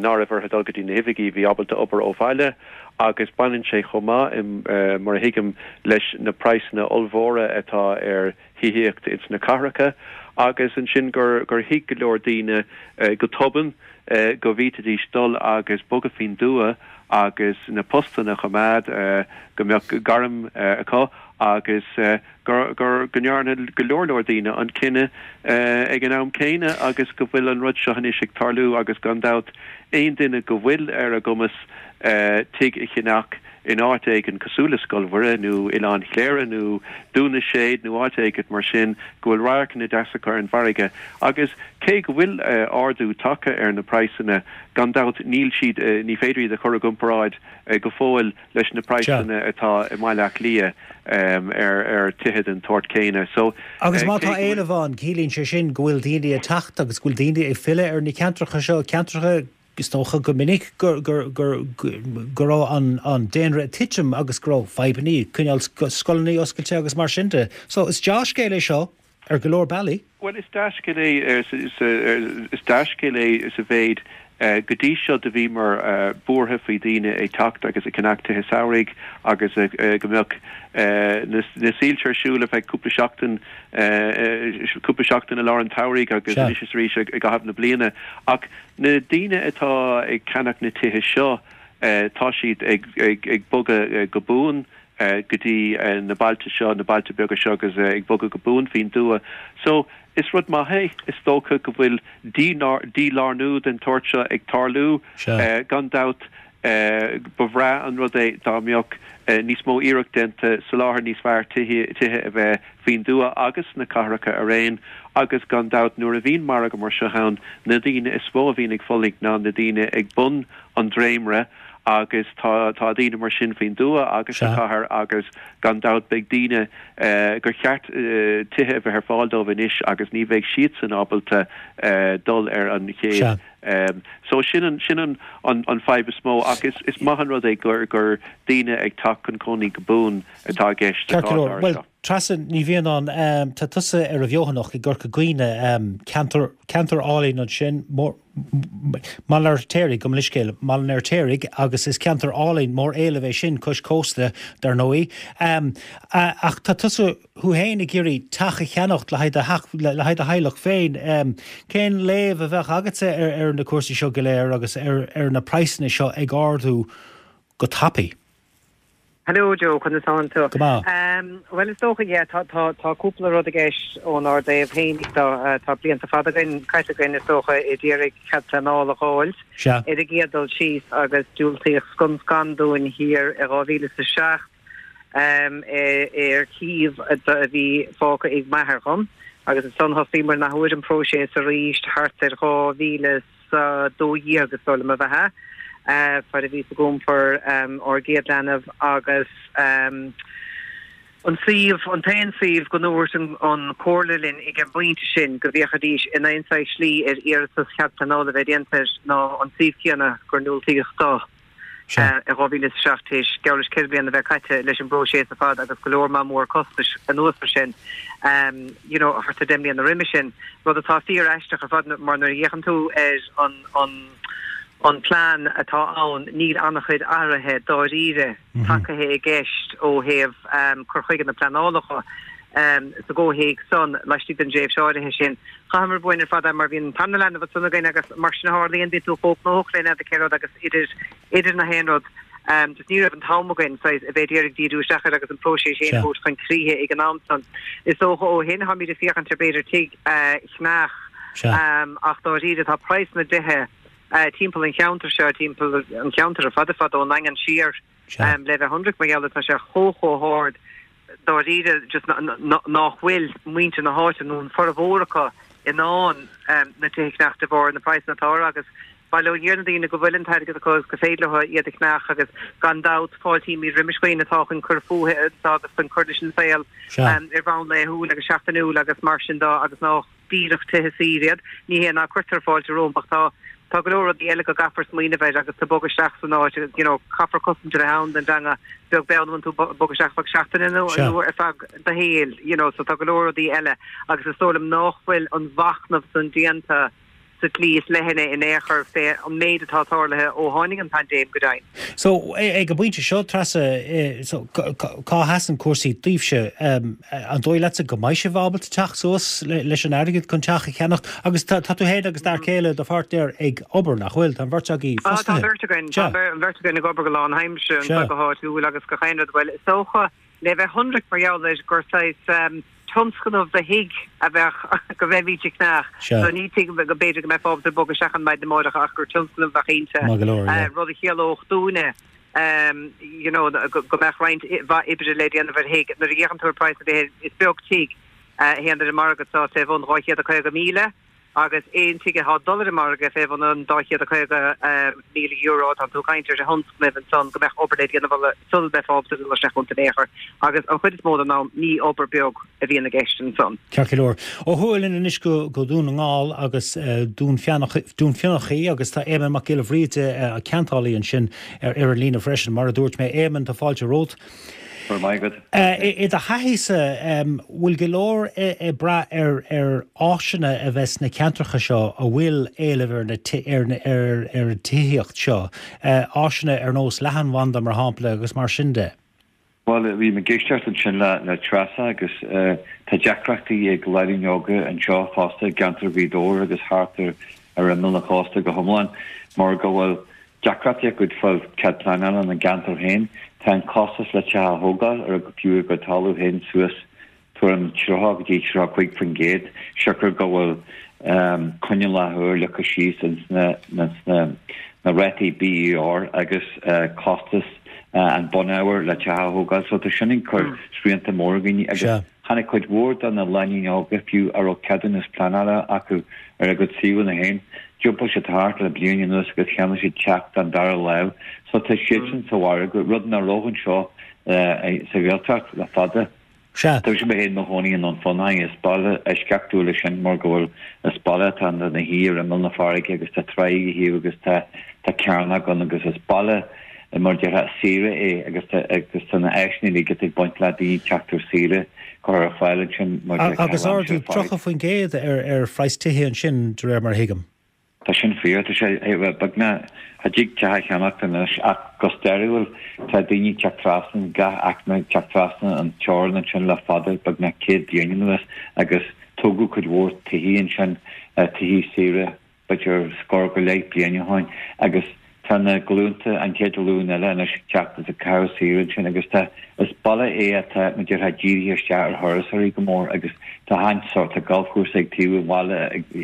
ná raibh orthu dul go dtí na hoifigí, bhí ábalta obair ó bhaile agus baineann sé chomh maith, mar a thuigim, leis na praghsanna ollmhóra atá ar thithíocht ins na cathracha agus ansin gur gur thuig go leor daoine go tobann go bhféadfaidís dul agus bogadh faoin dtuath agus na postanna a choimeád, go mbeadh gairm acu agus gur gur go ndearna go leor leor daoine an cinneadh ag an am céanna agus go bhfuil an rud seo anois ag tarlú agus gan dabht aon duine go bhfuil ar a gcumas tigh a cheannach in áit éigin cosúil le Scoil Mhuire nó Oileán Chléire nó Dún na Séad nó áit éigin mar sin go bhfuil radharcanna deasa acu ar an bhfarraige agus cé go bhfuil ardú tagtha ar na praghsanna gan dabht níl siad ní féidir iad a chur i gcomparáid go fóill leis na praghsanna atá i mBaile Átha Cliath ar ar tithe den tsórt céanna. So Agus má tá éileamh ann ciallaíonn sé sin go bhfuil daoine ag teacht agus go bhfuil daoine ag filleadh ar na ceantracha seo, ceantracha Is dócha go minic go raibh an daonra ag titim agus go raibh fadhbanna ag coinneáil scoileanna oscailte agus mar sin de. So is dea-scéal é seo ar go leor bealaí. Bhuel, is dea-scéal é, is dea-scéal é sa mhéid go dtí seo do bhíomar buartha faoi daoine ag teacht agus ag ceannach tithe samhraidh agus go mbeadh na soilse ar siúl ar feadh cúpla seachtain, cúpla seachtain i lár an tsamhraidh agus anois is arís i gcaitheamh na bliana. Ach na daoine atá ag ceannach na tithe seo, tá siad ag bogadh go buan go dtí na bailte seo, na bailte beaga seo agus ag bogadh go buan faoin dtuath. So, is rud maith é. Is dócha go bhfuil dílárnú den tsórt seo ag tarlú. Gan dabht, ba bhreá an rud é dá mbeadh níos mó iarracht déanta soláthar níos fearr tithe a bheith faoin dtuath agus sna cathracha araon agus gan dabht nuair a bhíonn margadh mar seo ann na daoine is mó a bhíonn ag fulaingt ná na daoine ag bun an dréimire agus tá tá daoine mar sin faoin dtuath agus sa chathair agus gan dabht beidh daoine gur cheart tithe a bheith ar fáil dóibh anois agus ní bheidh siadsan ábalta dul ar an chéad So sin an sin an an fadhb is mó ach is is maith an rud é gur gur daoine ag teacht chun cónaí go buan atá i gceist sa chás áirithe seo. Treasa Ní Mhianáin, tá tusa ar an bhFeothanacht i gCorca Dhuibhne, ceantar, ceantar álainn ansin, Maigh an Fheirtéaraigh, gabh mo leithscéal, Maigh an Fheirtéaraigh agus is ceantar álainn mór éilimh é sin cois cósta, dar ndóigh. Ach tá tusa thú féin ag iarraidh teach a cheannacht le haghaidh do, le haghaidh do theaghlach féin. Cén léamh a bheadh agatsa ar, ar na cúrsaí seo go léir agus ar, ar na praghsanna seo ag ardú go tapaidh? Hello Joe, conas tánn tú? Go maith. Bhuel is dócha, yeah, tá tá tá cúpla rud i gceist ónár dtaobh féin. Tá tá blianta fada againn caite againn is dócha ag iarraidh cead pleanála a fháil. Sea. Ar an gcéad dul síos agus diúltaíodh scun scan dúinn thiar i dhá mhíle is a seacht ar shuíomh a bhí fágtha ag m'athair dhom agus ansan thosaíomar an athuair an próiseas arís thart ar dhá mhíle is a dó dhéag is dóigh liom a bheith ea, fad a bhíos ag iompar ár gcéad leanbh agus an suíomh, an t-aon suíomh go ndúirt an Chomhairle linn ag an bpointe sin go bhféachfaidís in aon saghas slí ar iarratas chead pleanála a bheith déanta air ná an suíomh céanna gur ndiúltaíodh dó. I dhá mhíle is a seacht, théis geall leis ceithre bliana a bheith caite leis an bpróiseas ar fad agus go leor maith mór costais anuas ar sin, you know, thart ar deich mbliana roimhe sin, rud atá fíor aisteach ar fad mar nuair a fhéachann tú ar an an an plean atá ann níl an-chuid athraithe dáiríre tagtha i gceist ó thaobh cur chuige na pleanála dhe sa gcomhthéacs san laistigh den dtréimhse áirithe sin. Chaitheamar uainn ar fad é mar bhí an tarna leanbh ansan againn agus mar sin a tharlaíonn, bíonn tú chomh gnóthach le n'fheadar cé rud agus idir idir na haon rud just ní raibh an t-am againn saghas a bheith ag iarraidh díriú isteach air agus an próiseas féin a thabhairt chun críche ag an am san. Is dócha ó shin táimid ag féachaint ar b'fhéidir tigh a cheannach ach dáiríre tá praghas na dtithe timpeall an cheantair seo, timpeall an cheantair ar fad ar fad ón nDaingean siar le bheith ionraic mar gheall ar tá sé chomh chomh hard dáiríre just nach bhfuil muintir na háite nó an formhór acu in ann na tithe a cheannach de bharr na praghsanna atá orthu agus bail ó Dhia ar na daoine go bhfuil an t-airgead acu agus go féidir leo iad a cheannach agus gan dabht fáiltímid roimis dhaoine atá chun cur fúthu anseo agus chun cur leis an saol ar bhonn laethúil agus seachtainiúil agus mar sin de agus nach díreach tithe saoire iad. Ní hé ná cuirtear fáilte rompu ach tá tá go leor rudaí eile go gcaithfear smaoineamh air agus tú ag bogadh isteach san áit agus you know caithfear cosaint a bheith ann don dteanga beag beann an bhfuil tú ag bogadh isteach feadh seachtaine nó nó ar feadh do shaoil you know so tá go leor rudaí eile agus is dóigh liom nach bhfuil an mhachnamh san déanta sa tslí is leithne in aon chor fé an méid atá tarlaithe ó tháinig an paindéim go deimhin. So, ag an bpointe seo, Treasa, so, cá sheasann cúrsaí daoibhse? An dóigh leatsa go mbeidh sibh ábalta teacht suas leis an airgead chun teach a cheannacht? Agus tá tú féin agus d'fhear céile, do pháirtnéir, ag obair, nach bhfuil? Tá an bheirt agaibh fostaithe. Tá an bheirt againn, tá an bheirt againn ag obair go lánaimseartha anseo go háitiúil agus gach aon rud. Bhuel, is dócha, le bheith ionraic mar gheall air gur saghas tionscnamh do thigh a bheadh go mbeimid ag ceannach. So ní tigh go b'fhéidir go mbeifeá ábalta bogadh isteach ann maidin amárach ach gur tionscnamh a bheadh inti, rud a chiallódh dúinne you know go mbeadh roinnt mhaith oibre le déanamh ar thigh. Nuair a fhéachann tú ar praghas na dtithe is beag tigh a théann ar an margadh seo fé bhun dhá chéad a caoga míle. Agus aon tigh atá ag dul ar an margadh fé bhun an dá chéad a caoga míle euro, tá tú ag caint ar thionscnaimh ansan go mbeadh obair le déanamh sula mbeifeá ábalta dul isteach iontu in aon chor. Agus an chuid is mó den am, ní obair beag a bhíonn i gceist ansan. Ceart go leor. Ó thuaidh linn anois go Dún na nGall agus Dún Fionnachaidh agus tá Éamonn Mac Giolla Bhríde, ceantálaí ansin, ar an líne freisin. Mar a dúirt mé, Éamonn, tá fáilte romhat. Go raibh maith agat. I do thaithíse, bhfuil go leor ag brath ar ar áiseanna a bheith sna ceantracha seo a bhfuil éileamh ar na ar ar an tithíocht seo, áiseanna ar nós leathanbhanda mar shampla agus mar sin de? Bhuel, bhí mé ag éisteacht ansin le le Treasa agus tá deacrachtaí ag lánúin óga anseo fosta i gceantar Ghaoth Dobhair agus thart ar ar imeall an chósta go hiomlán mar go bhfuil deacrachtaí acu fáil cead pleanála ina gceantar féin. Tá an costas le teach a thógáil ar fiú a gcuid talamh féin suas tuairim tríocha go dtí tríocha cúig faoin gcéad, siocair go bhfuil coinníollacha úr leagtha síos ins na rátaí BER agus costas an bunábhair le teach a thógáil. So tá sin ag cur srianta mór ar dhaoine agus Tháinig cuid mhór de na lánúin óga, fiú a raibh ceadúnas pleanála acu ar a gcuid suíomhanna féin, d'iompaigh siad thart le bliain anuas agus cheannaigh siad teach den dara lámh. So tá siadsan sa mhargadh, rud nach raibh anseo sa Ghaeltacht le fada. Sea. Tá mise féin i mo chónaí i nDún Fionnachaidh, is baile eisceachtúil é sin mar go bhfuil, is baile atá ina shuí ar imeall na farraige agus tá tráigh a thaobh agus tá tá cearnóg ann agus is baile mar déarfá saoire é agus agus tá na áiseanna uilig atá ag baint le daoine teacht ar saoire curtha ar fáil ansin mar déarfá Agus ardú tríocha faoin gcéad ar ar phraghas tithe ansin de réir mar a thuigim. Tá sin fíor, tá sé beagnach cha dtig teach a cheannacht anois ach go stairiúil tá daoine ag teacht trasna, gach aicme ag teacht trasna an teorainn ansin le fada, beagnach céad bliain anuas agus tógadh cuid mhór tithí ansin, tithí saoire, b'fhéidir scór go leith bliain ó shin agus tá na glúnta, an chéad ghlúin eile anois ag teacht is ag caitheamh saoire ansin agus tá, is baile é atá, mar déarfá, dírithe isteach ar thurasóirí go mór agus tá achan sórt, tá galfchúrsa ag taobh an bhaile,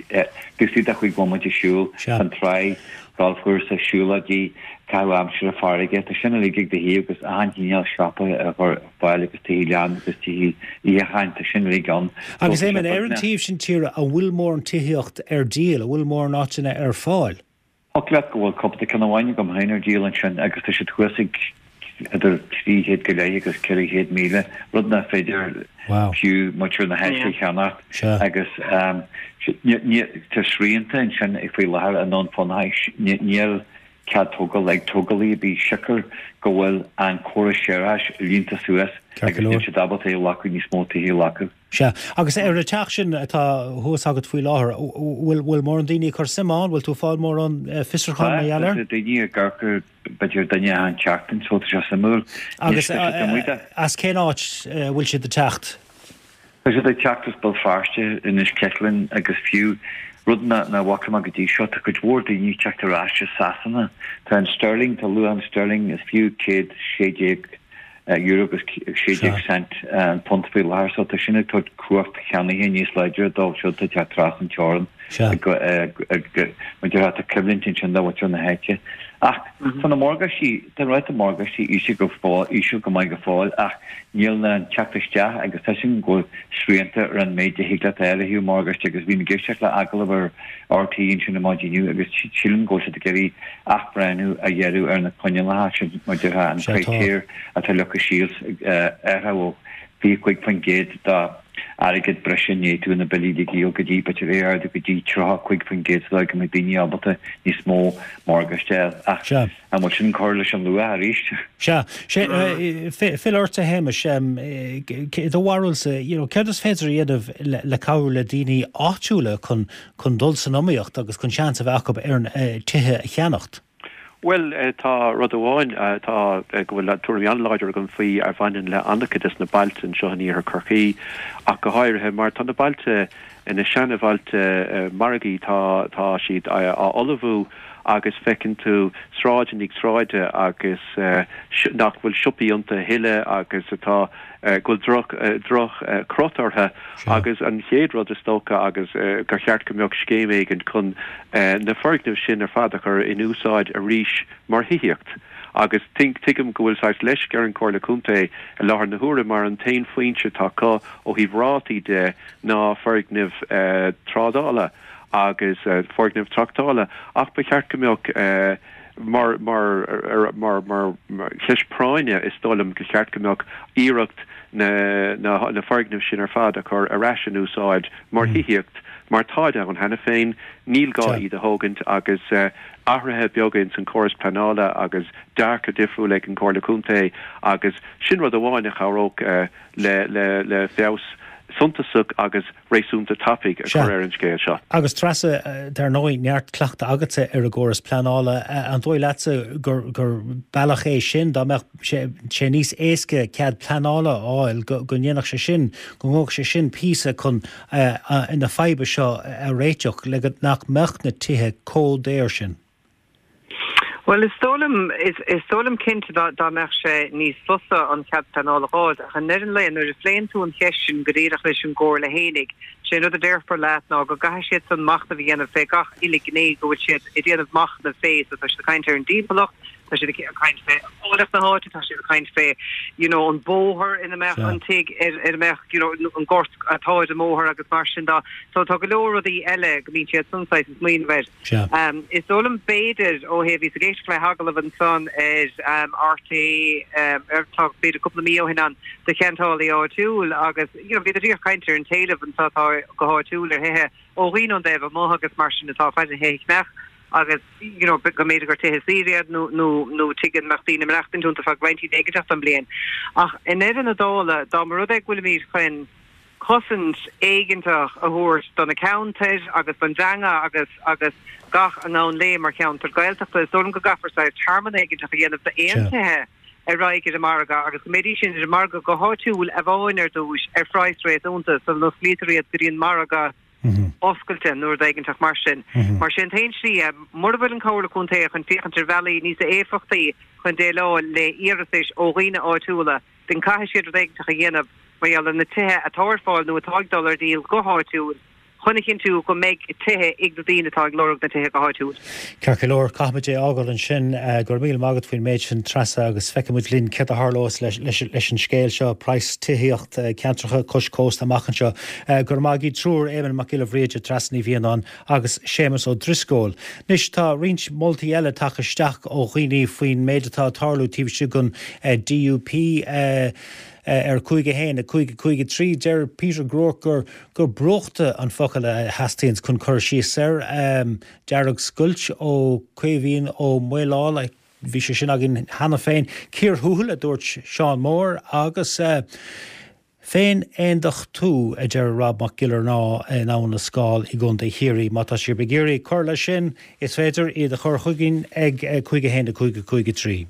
taobh istigh de chúig bhomaite siúil, an tráigh, galfchúrsa, siúlóidí, caitheamh aimsire farraige, tá sin uilig ag do thaobh agus achan chineál siopa a chur ar fáil agus tithe leanna agus tithe itheacháin, tá sin uilig ann. Agus Éamonn, ar an taobh sin tíre, an bhfuil mórán tithíocht ar díol, an bhfuil mórán áiteanna ar fáil? Thiocfadh leat go bhfuil cúpla ceann amháin agam féin ar díol ansin agus tá siad thuas ag idir trí chéad go leith agus ceithre chéad míle, rud nach féidir fiú muintir na háite a cheannacht agus tá srianta ansin faoi láthair i nDún Fionnachaidh, níl cead tógála ag tógálaí ar bith siocair go bhfuil an córas séarachais líonta suas agus níl siad ábalta a ghlacadh níos mó tithe a ghlacadh. Sea. Agus ar an teach sin atá thuas agat faoi láthair, bhfuil bhfuil mórán daoine ag cur suim ann? Bhfuil tú ag fáil mórán fiosrúchán mar gheall air? Tá, tá daoine ag amharc b'fhéidir duine achan tseachtain so tá sé suimiúil. Agus as cén áit a bhfuil siad ag teacht? Tá siad ag teacht as Béal Feirste, Inis Ceithleann agus fiú, rud nach bhfaca mé go dtí seo, tá cuid mhór daoine ag teacht ar ais as Sasana. Tá an sterling, tá luach an sterling, is fiú céad sé déag euro agus sé déag cent an punt faoi láthair so tá sin ag tabhairt cumhacht cheannaithe níos láidre dóibh siúd atá ag teacht trasna an teorainn mar déarfá tá coimhlint ansin do mhuintir na háite. Ach tá na morgáistí, tá an ráta morgáistí íseal go fóill, íseal go maith go fóill ach níl an teacht isteach agus tá sin go bhfuil srianta ar an méid a thig leat a fháil ó thaobh morgáiste agus bhí mé ag éisteacht le agallamh ar RTÉ ansin ar maidin inniu agus sílim go bhfuil siad ag iarraidh athbhreithniú a dhéanamh ar na coinníollacha sin mar déarfá an critéar atá leagtha síos athrú ó fiche cúig faoin gcéad d'airgead breise i ndiaidh tú na billí a íoc go dtí b'fhéidir é a ardú go dtí tríocha cúig faoin gcéad sa dóigh go mbeidh daoine ábalta níos mó morgáiste a fháil. Ach an bhfuil sin cur leis an luach arís? Sea. Fill ort a Shéamais, i do bharúilsa, you know, céard is féidir a dhéanamh le cabhrú le daoine áitiúla chun chun dul san iomaíocht agus chun seans a bheith acu ar an tithe a cheannacht? Bhuel, tá rud amháin atá, go bhfuil tuairim an-láidir agam faoi a bhaineann le an-chuid des na bailte anseo in iarthar Chorcaí ach go háirithe mar tá na bailte, na seanabhailte margaidh, tá, tá siad á fholmhú agus feiceann tú sráid i ndiaidh sráide agus nach bhfuil siopaí iontu a thuilleadh agus atá, go bhfuil droch, droch chrot orthu agus an chéad rud is dócha agus gur cheart go mbeadh scéim éigin chun na foirgnimh sin ar fad a chur in úsáid arís mar thithíocht agus tuigim go bhfuil saghas leisce ar an Chomhairle Contae i láthair na huaire mar an t-aon foinse atá acu ó thaobh rátaí de ná foirgnimh trádála agus foirgnimh tráchtála ach ba cheart go mbeadh mar mar mar mar cheist práinne is dóigh liom gur cheart go mbeadh iarracht na na na foirgnimh sin ar fad a chur ar ais in úsáid mar thithíocht mar táid ann cheana féin, níl gá iad a thógaint agus athruithe beaga ins an córas pleanála agus dearcadh difriúil ag an Chomhairle Contae agus sin rud amháin a chabhródh le le le feabhas suntasach agus réasúnta tapaidh a chur ar an scéal seo. Agus Treasa, dar ndóigh, neart cleachtadh agatsa ar an gcóras pleanála. An dóigh leatsa gur gur bealach é sin, dá mbeadh sé sé níos éasca cead pleanála a fháil, go go ndéanfadh sé sin, go ngabhfadh sé sin píosa chun na fadhba seo a réiteach le go nach mbeadh na tithe chomh daor sin? Bhuel, is dóigh liom, is dóigh liom cinnte dá dá mbeadh sé níos fusa an cead pleanála a fháil, ach i ndeireadh an lae, nuair a phléann tú an cheist sin go díreach leis an gComhairle fhéinig, sé an rud a déarfar leat ná go gcaithfidh siad san machnamh a dhéanamh fé gach uile ghné go bhfuil siad ag déanamh machnaimh fé, so tá siad ag caint ar an dtimpeallacht, tá siad ag caint fé áilleacht na háite, tá siad ag caint fé you know an bóthar ina mbeadh an tigh, ar ar a mbeadh you know an gort atá ar an mbóthar agus mar sin de. So tá go leor rudaí eile go mbíonn siad san saghas ag smaoineamh air. Is dóigh liom b'fhéidir ó thaobh bhíos ag éisteacht le hagallamh ansan ar RTÉ ar tá b'fhéidir cúpla mí ó shin ann do cheantálaí áitiúil agus you know bhíodar díreach ag caint ar an t-éileamh anso atá go háitiúil ar thithe ó dhaoine ón dtaobh amuigh agus mar sin atá ag faire thithe a cheannach agus you know, go mb'fhéidir gur tithe saoire iad nó nó nó tithe a mbeadh daoine ag maireachtaint iontu feadh roinnt éiginteach den bhliain. Ach i ndeireadh na dála, dá mba rud é go bhfuilimid chun cosaint éigeantach a thabhairt do na ceantair agus don teanga agus agus gach a ngabhann léi mar cheantar Gaeltachta, is dóigh liom go gcaithfear saghas tearmann éigeantach a dhéanamh d'aon tithe a raghaidh ar an margadh agus go mbeidís sin ar an margadh go háitiúil amháin ar dtús ar phraghas réasúnta sula n-osclaítear iad go dtí an margadh oscailte nó rud éiginteach mar sin. Mar sin t-aon slí, mura bhfuil an Chomhairle Contae chun féachaint ar bhealaí níos éifeachtaí chun déileáil le hiarratais ó dhaoine áitiúla, then caithfidh siad rud éiginteach a dhéanamh mar gheall ar na tithe atá ar fáil nó atá ag dul ar díol go háitiúil chun a chinntiú go mbeidh tithe ag na daoine atá ag lorg na tithe go háitiúil. Ceart go leor, caithfimid é a fhágáil ansin. Go raibh míle maith agat faoin méid sin, Treasa, agus feicfidh muid linn céard a tharlós leis an scéal seo, praghas tithíocht ceantracha cois cósta amach anseo. Go raibh maith agaibh triúr, Éamonn Mac Giolla Bhríde, Treasa Ní Mhianáin agus Séamus Ó Drisceoil. Anois tá roinnt moltaí eile tagtha isteach ó dhaoine faoin méid atá ag tarlú taobh istigh den DUP. Ar cúig a haon, a cúig, a cúig a trí, deir Peter Groarke gur gur brúchtadh an focal a theastaíonns chun cur síos air. Dearg-scoilt ó Caoimhín Ó Maoláil, bhí sé sin againn cheana féin. Cíor thuathail, a dúirt Seán Mór, agus féin-aondachtú, a deir Rob Mac Giollarnáth in Abhainn na Scáil i gContae Chiarraí. Má tá sibh ag iarraidh cur leis sin, is féidir iad a chur chugainn ag cúig a haon, a cúig, a cúig a trí.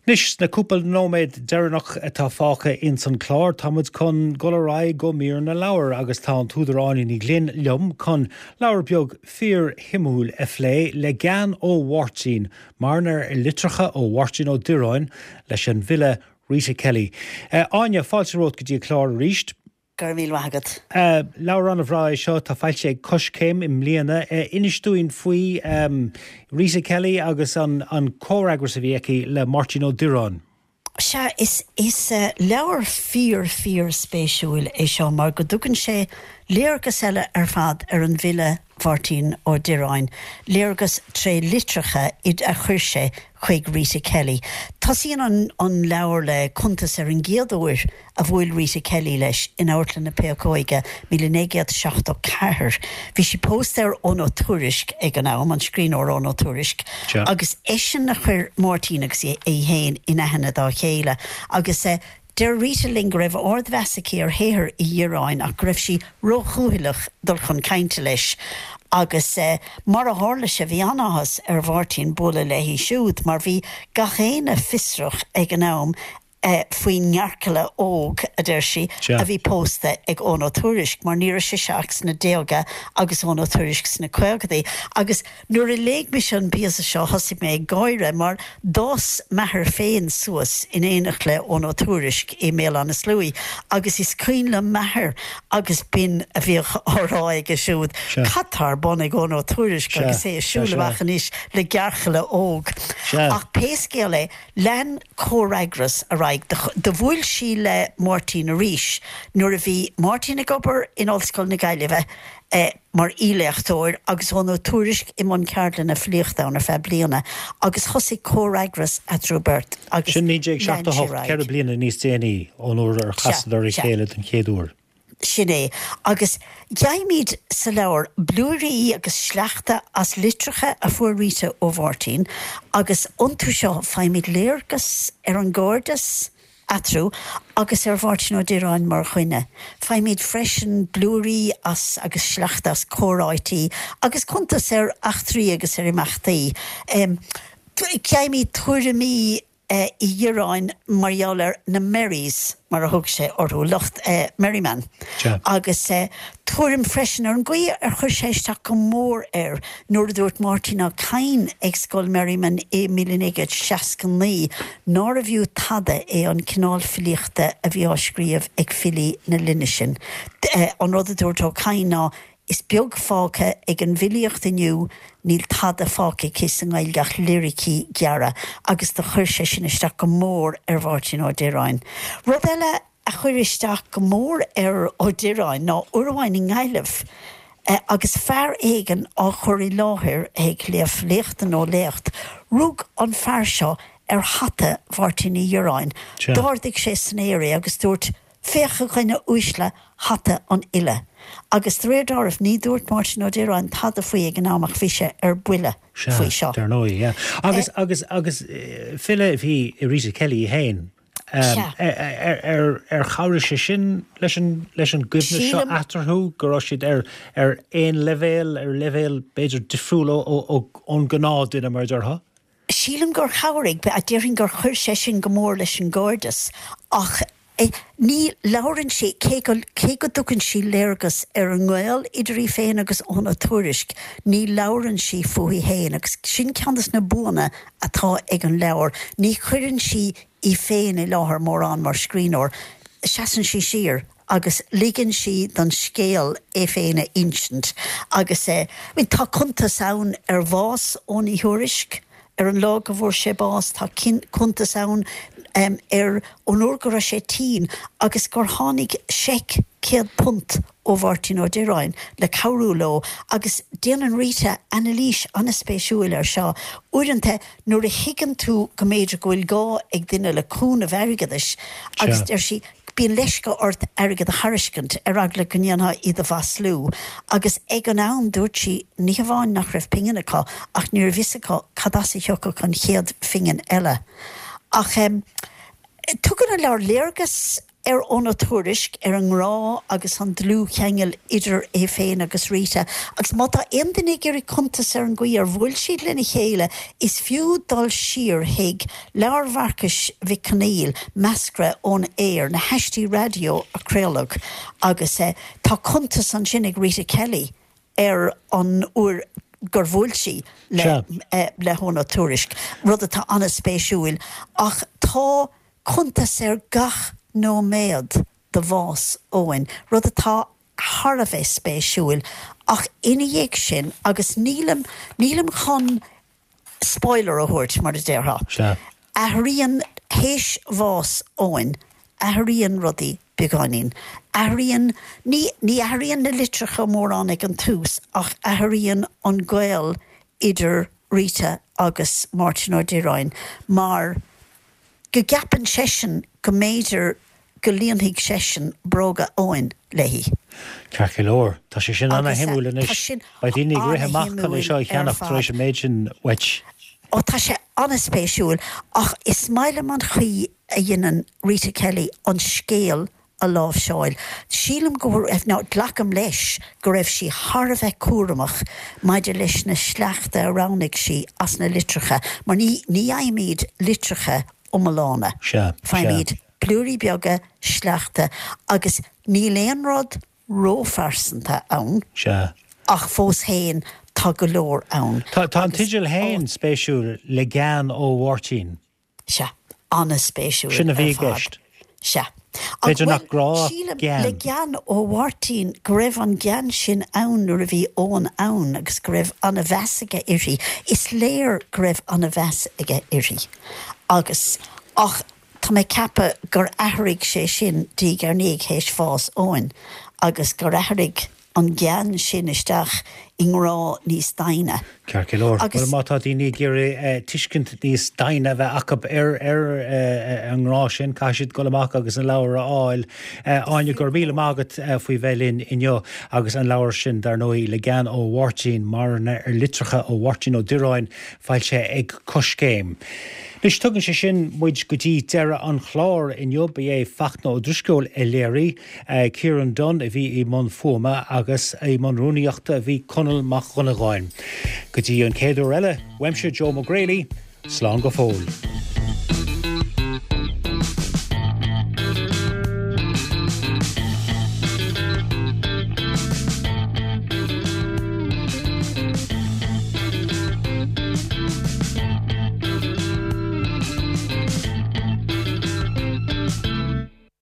Anois, sna cúpla nóiméad deireanach atá fágtha ins an clár, tá muid chun dul ar aghaidh go mír na leabhar agus tá an t-údar Áine Ní Ghlinn liom chun leabhar beag fíor-shuimiúil a phlé, Le Gean ó Mháirtín, marana ar litreacha ó Mháirtín Ó Direáin leis an bhfile Rita Kelly. Áine, fáilte romhat go dtí an clár arís. Go raibh míle maith agat. Leabhar an-bhreá é seo, atá foilsithe ag Coiscéim i mbliana. Inis dúinn faoi Rita Kelly agus an comhfhreagras a bhí aici le Máirtín Ó Direáin. Sea, is leabhar fíor, fíor spéisiúil é seo mar go dtugann sé léargas eile ar fad ar an bhfile Mháirtín Ó Direáin, léargas tré litreacha a chuir sé chuig Rita Kelly. Tosaíonn an an leabhar le cuntas ar an gcéad uair a bhuail Rita Kelly leis in Amharclann na Péacóige, míle naoi gcéad seachtó ceathair. Bhí sí pósta ar Eoghan Ó Tuairisg ag an am, an scríbhneoir Eoghan Ó Tuairisg, agus eisean a chuir Máirtín agus í féin in aithne dá chéile agus Deir Rita linn go raibh ardmheas aici ar shaothar Uí Dhireáin ach go raibh sí róchúthaileach dul chun cainte leis agus mar a tharla sé bhí an-áthas ar Mháirtín bualadh léi siúd mar bhí gach éinne fiosrach ag an am faoin ngearrchaile óg, a deir sí, a bhí pósta ag Eoghan Ó Tuairisg mar ní raibh sise ach sna déaga agus Eoghan Ó Tuairisg sna caogadaí agus Nuair a léigh mise an píosa seo thosaigh mé ag gáire mar d'fhás m'athair féin suas in éineacht le Eoghan Ó Tuairisg i mBéal Átha na Sluaighe agus is cuimhin liom m'athair agus b'in a bhíodh á rá aige siúd, cad tá ar bun ag Eoghan Ó Tuairisg agus é ag siúl amach anois le gearrchaile óg. Ach pé scéal é, lean comhfhreagras ar aghaidh. Do bhuail sí le Máirtín arís nuair a bhí Máirtín ag obair in Ollscoil na Gaillimhe. mar aoiléachtóir agus Eoghan Ó Tuairisg i mbun ceardlanna filíochta ann ar feadh bliana agus thosaigh comhfhreagras eatarthu beirt agus Sin naoi déag lean seachtó sé ar hocht, aghaidh. ceithre bliana níos déanaí ón uair ar Sea, chasadar a sea. chéile den chéad uair. Sin é. Agus gheibhimid sa leabhar blúirí agus sleachta as litreacha a fuair Rita ó Mháirtín agus iontu seo faighimid léargas ar an gcairdeas, eatarthu agus ar Mháirtín Ó Direáin mar dhuine. Faighimid freisin blúirí as agus sleachta as comhráití agus cuntas ar eachtraí agus ar imeachtaí. Gheibhimid tuairimí Uí Dhireáin mar gheall ar na Merries, mar a thug sé orthu, lucht Merriman, agus tuairim freisin ar an gcaoi ar chuir sé isteach go mór air nuair a dúirt Máirtín Ó Cadhain ag Scoil Merriman i míle naoi gcéad seasca naoi nárbh fhiú tada é an cineál filíochta a bhí á scríobh ag filí na linne sin. An rud a dúirt Ó Cadhain ná Is beag fágtha ag an bhfilíocht inniu, níl tada fágtha aici sa nGaeilge ach liricí gearra agus do chuir sé sin isteach go mór ar Mháirtín Ó Direáin. Rud eile a chuir isteach go mór ar Ó Direáin ná uair amháin i nGaillimh agus fear éigin á chur i láthair ag léamh léachta nó léacht, rug an fear seo ar hata Mháirtín Uí Dhireáin, d'ardaigh sé san aer é agus dúirt, Féach a dhuine uaisle hata an fhile. Agus de réir dealraimh ní dúirt Máirtín Ó Direáin tada faoi ag an am ach bhí sé ar buile faoi seo. Dar ndóigh, yeah. Agus, agus, agus file a bhí i Rita Kelly í féin. Ar, ar chabhraigh sé sin leis an, leis an gcoibhneas seo eatarthu, go raibh siad ar, ar aon leibhéal, ar leibhéal b'fhéidir difriúil ó, ó, ón ghnáthdhuine mar a déarfá? Sílim gur chabhraigh, déarfainn gur chuir sé sin go mór leis an gcairdeas ach ní labhrann sí, cé go, cé go dtugann sí léargas ar an ngaol idir í féin agus Eoghan Ó Tuairisc, ní labhrann sí fúithi féin agus sin ceann de na buanna atá ag an leabhar, ní chuireann sí í féin i láthair mórán mar scríbhneoir, seasann sí siar agus ligeann sí don scéal é féin a insint agus eh, tá cuntas ann ar bhás Eoghain Uí Thuairisc, ar an lá go bhfuair sé bás, tá cuntas ann ar an uair go raibh sé tinn agus gur tháinig seic céad punt ó Mháirtín Ó Direáin le cabhrú leo agus déanann Rita anailís an-spéisiúil air seo. Uaireanta nuair a thuigeann tú go mb'fhéidir go bhfuil gá ag duine le cúnamh airgeadais agus deir sí bíonn leisce ort airgead a thairiscint ar eagla go ndéanfá iad a mhaslú agus ag an am dúirt sí ní hamháin nach raibh pingin acu ach ní raibh fhios acu cad as a thiocfadh an chéad phingin eile. Ach tugann an leabhar léargas ar Eoghan Ó Tuairisc, ar an ngrá agus an dlúthcheangal idir é féin agus Rita, agus má tá aon duine ag iarraidh cuntas ar an gcaoi ar bhuail siad lena chéile, is fiú dul siar chuig leabhar Mharcais Mhic Conghail, Meascra ón Aer, na haistí raidió a craoladh, agus tá cuntas ansin ag Rita Kelly ar an uair gur bhuail sí le le hEoghan Ó Tuairisc, rud atá an-spéisiúil. Ach tá cuntas ar gach nóiméad de bhás Eoghain, rud atá thar a bheith spéisiúil. Ach ina dhiaidh sin, agus nílim, nílim chun spoiler a thabhairt, mar a déarfá, athraíonn, théis bhás Eoghain, athraíonn rudaí beagáinín. Athraíonn, ní, ní athraíonn na litreacha mórán ag an tús ach athraíonn an gaol idir Rita agus Máirtín Ó Direáin mar go gceapann seisean go mb'fhéidir go líonfaidh seisean bróga Eoghain léi. Ceart go leor, tá sé sin ana-shuimiúil anois. Beidh daoine ag rith amach chun é seo a cheannach tar éis an méid sin uait. Ó tá sé an-spéisiúil ach is maith liom an chaoi a dhéanann Rita Kelly an scéal a láimhseáil. Sílim go raibh, nó glacaim leis go raibh sí thar a bheith cúramach maidir leis na sleachta a roghnaigh sí as na litreacha, mar ní ní fhaighimid litreacha iomlána. Sea, sea. Faighimid blúirí beaga, sleachta, agus níl aon rud róphearsanta ann. Sea. Ach fós féin, tá go leor ann. Tá an teideal féin spéisiúil, Le Gean ó Mháirtín. Sea, an-spéisiúil ar fad. Sin a bhí i gceist. Sea. B'fhéidir nach grá ach sílim, gean. Le gean ó Mháirtín, go raibh an gean sin ann nuair a bhí Eoghan ann agus go raibh an-mheas aige uirthi. Is léir go raibh an-mheas aige uirthi. Agus, ach tá mé ag ceapadh gur athraigh sé sin diaidh ar ndiaidh théis bhás Eoghain agus gur athraigh an gean sin isteach i ngrá níos doimhne. Ceart go leor. Agus. Bhuel, má tá daoine ag iarraidh tuiscint níos doimhne a bheith acu ar ar an ngrá sin, caithfidh siad dul amach agus an leabhar a fháil. Áine, go raibh míle maith agat faoi bheith linn inniu agus an leabhar sin, dar ndóigh, Le Gean ó Mháirtín, marana ar litreacha ó Mháirtín Ó Direáin, foilsithe ag Coiscéim. Anois, tugann sé sin muid go dtí deireadh an chláir inniu. Ba é Fachtna Ó Drisceoil a léirigh, Kieran Dunne a bhí i mbun fuaime agus i mbun rúnaíochta a bhí Conall Mac Dhonnagáin. Go dtí an chéad uair eile, uaimse Joe Mac Greally, slán go fóill.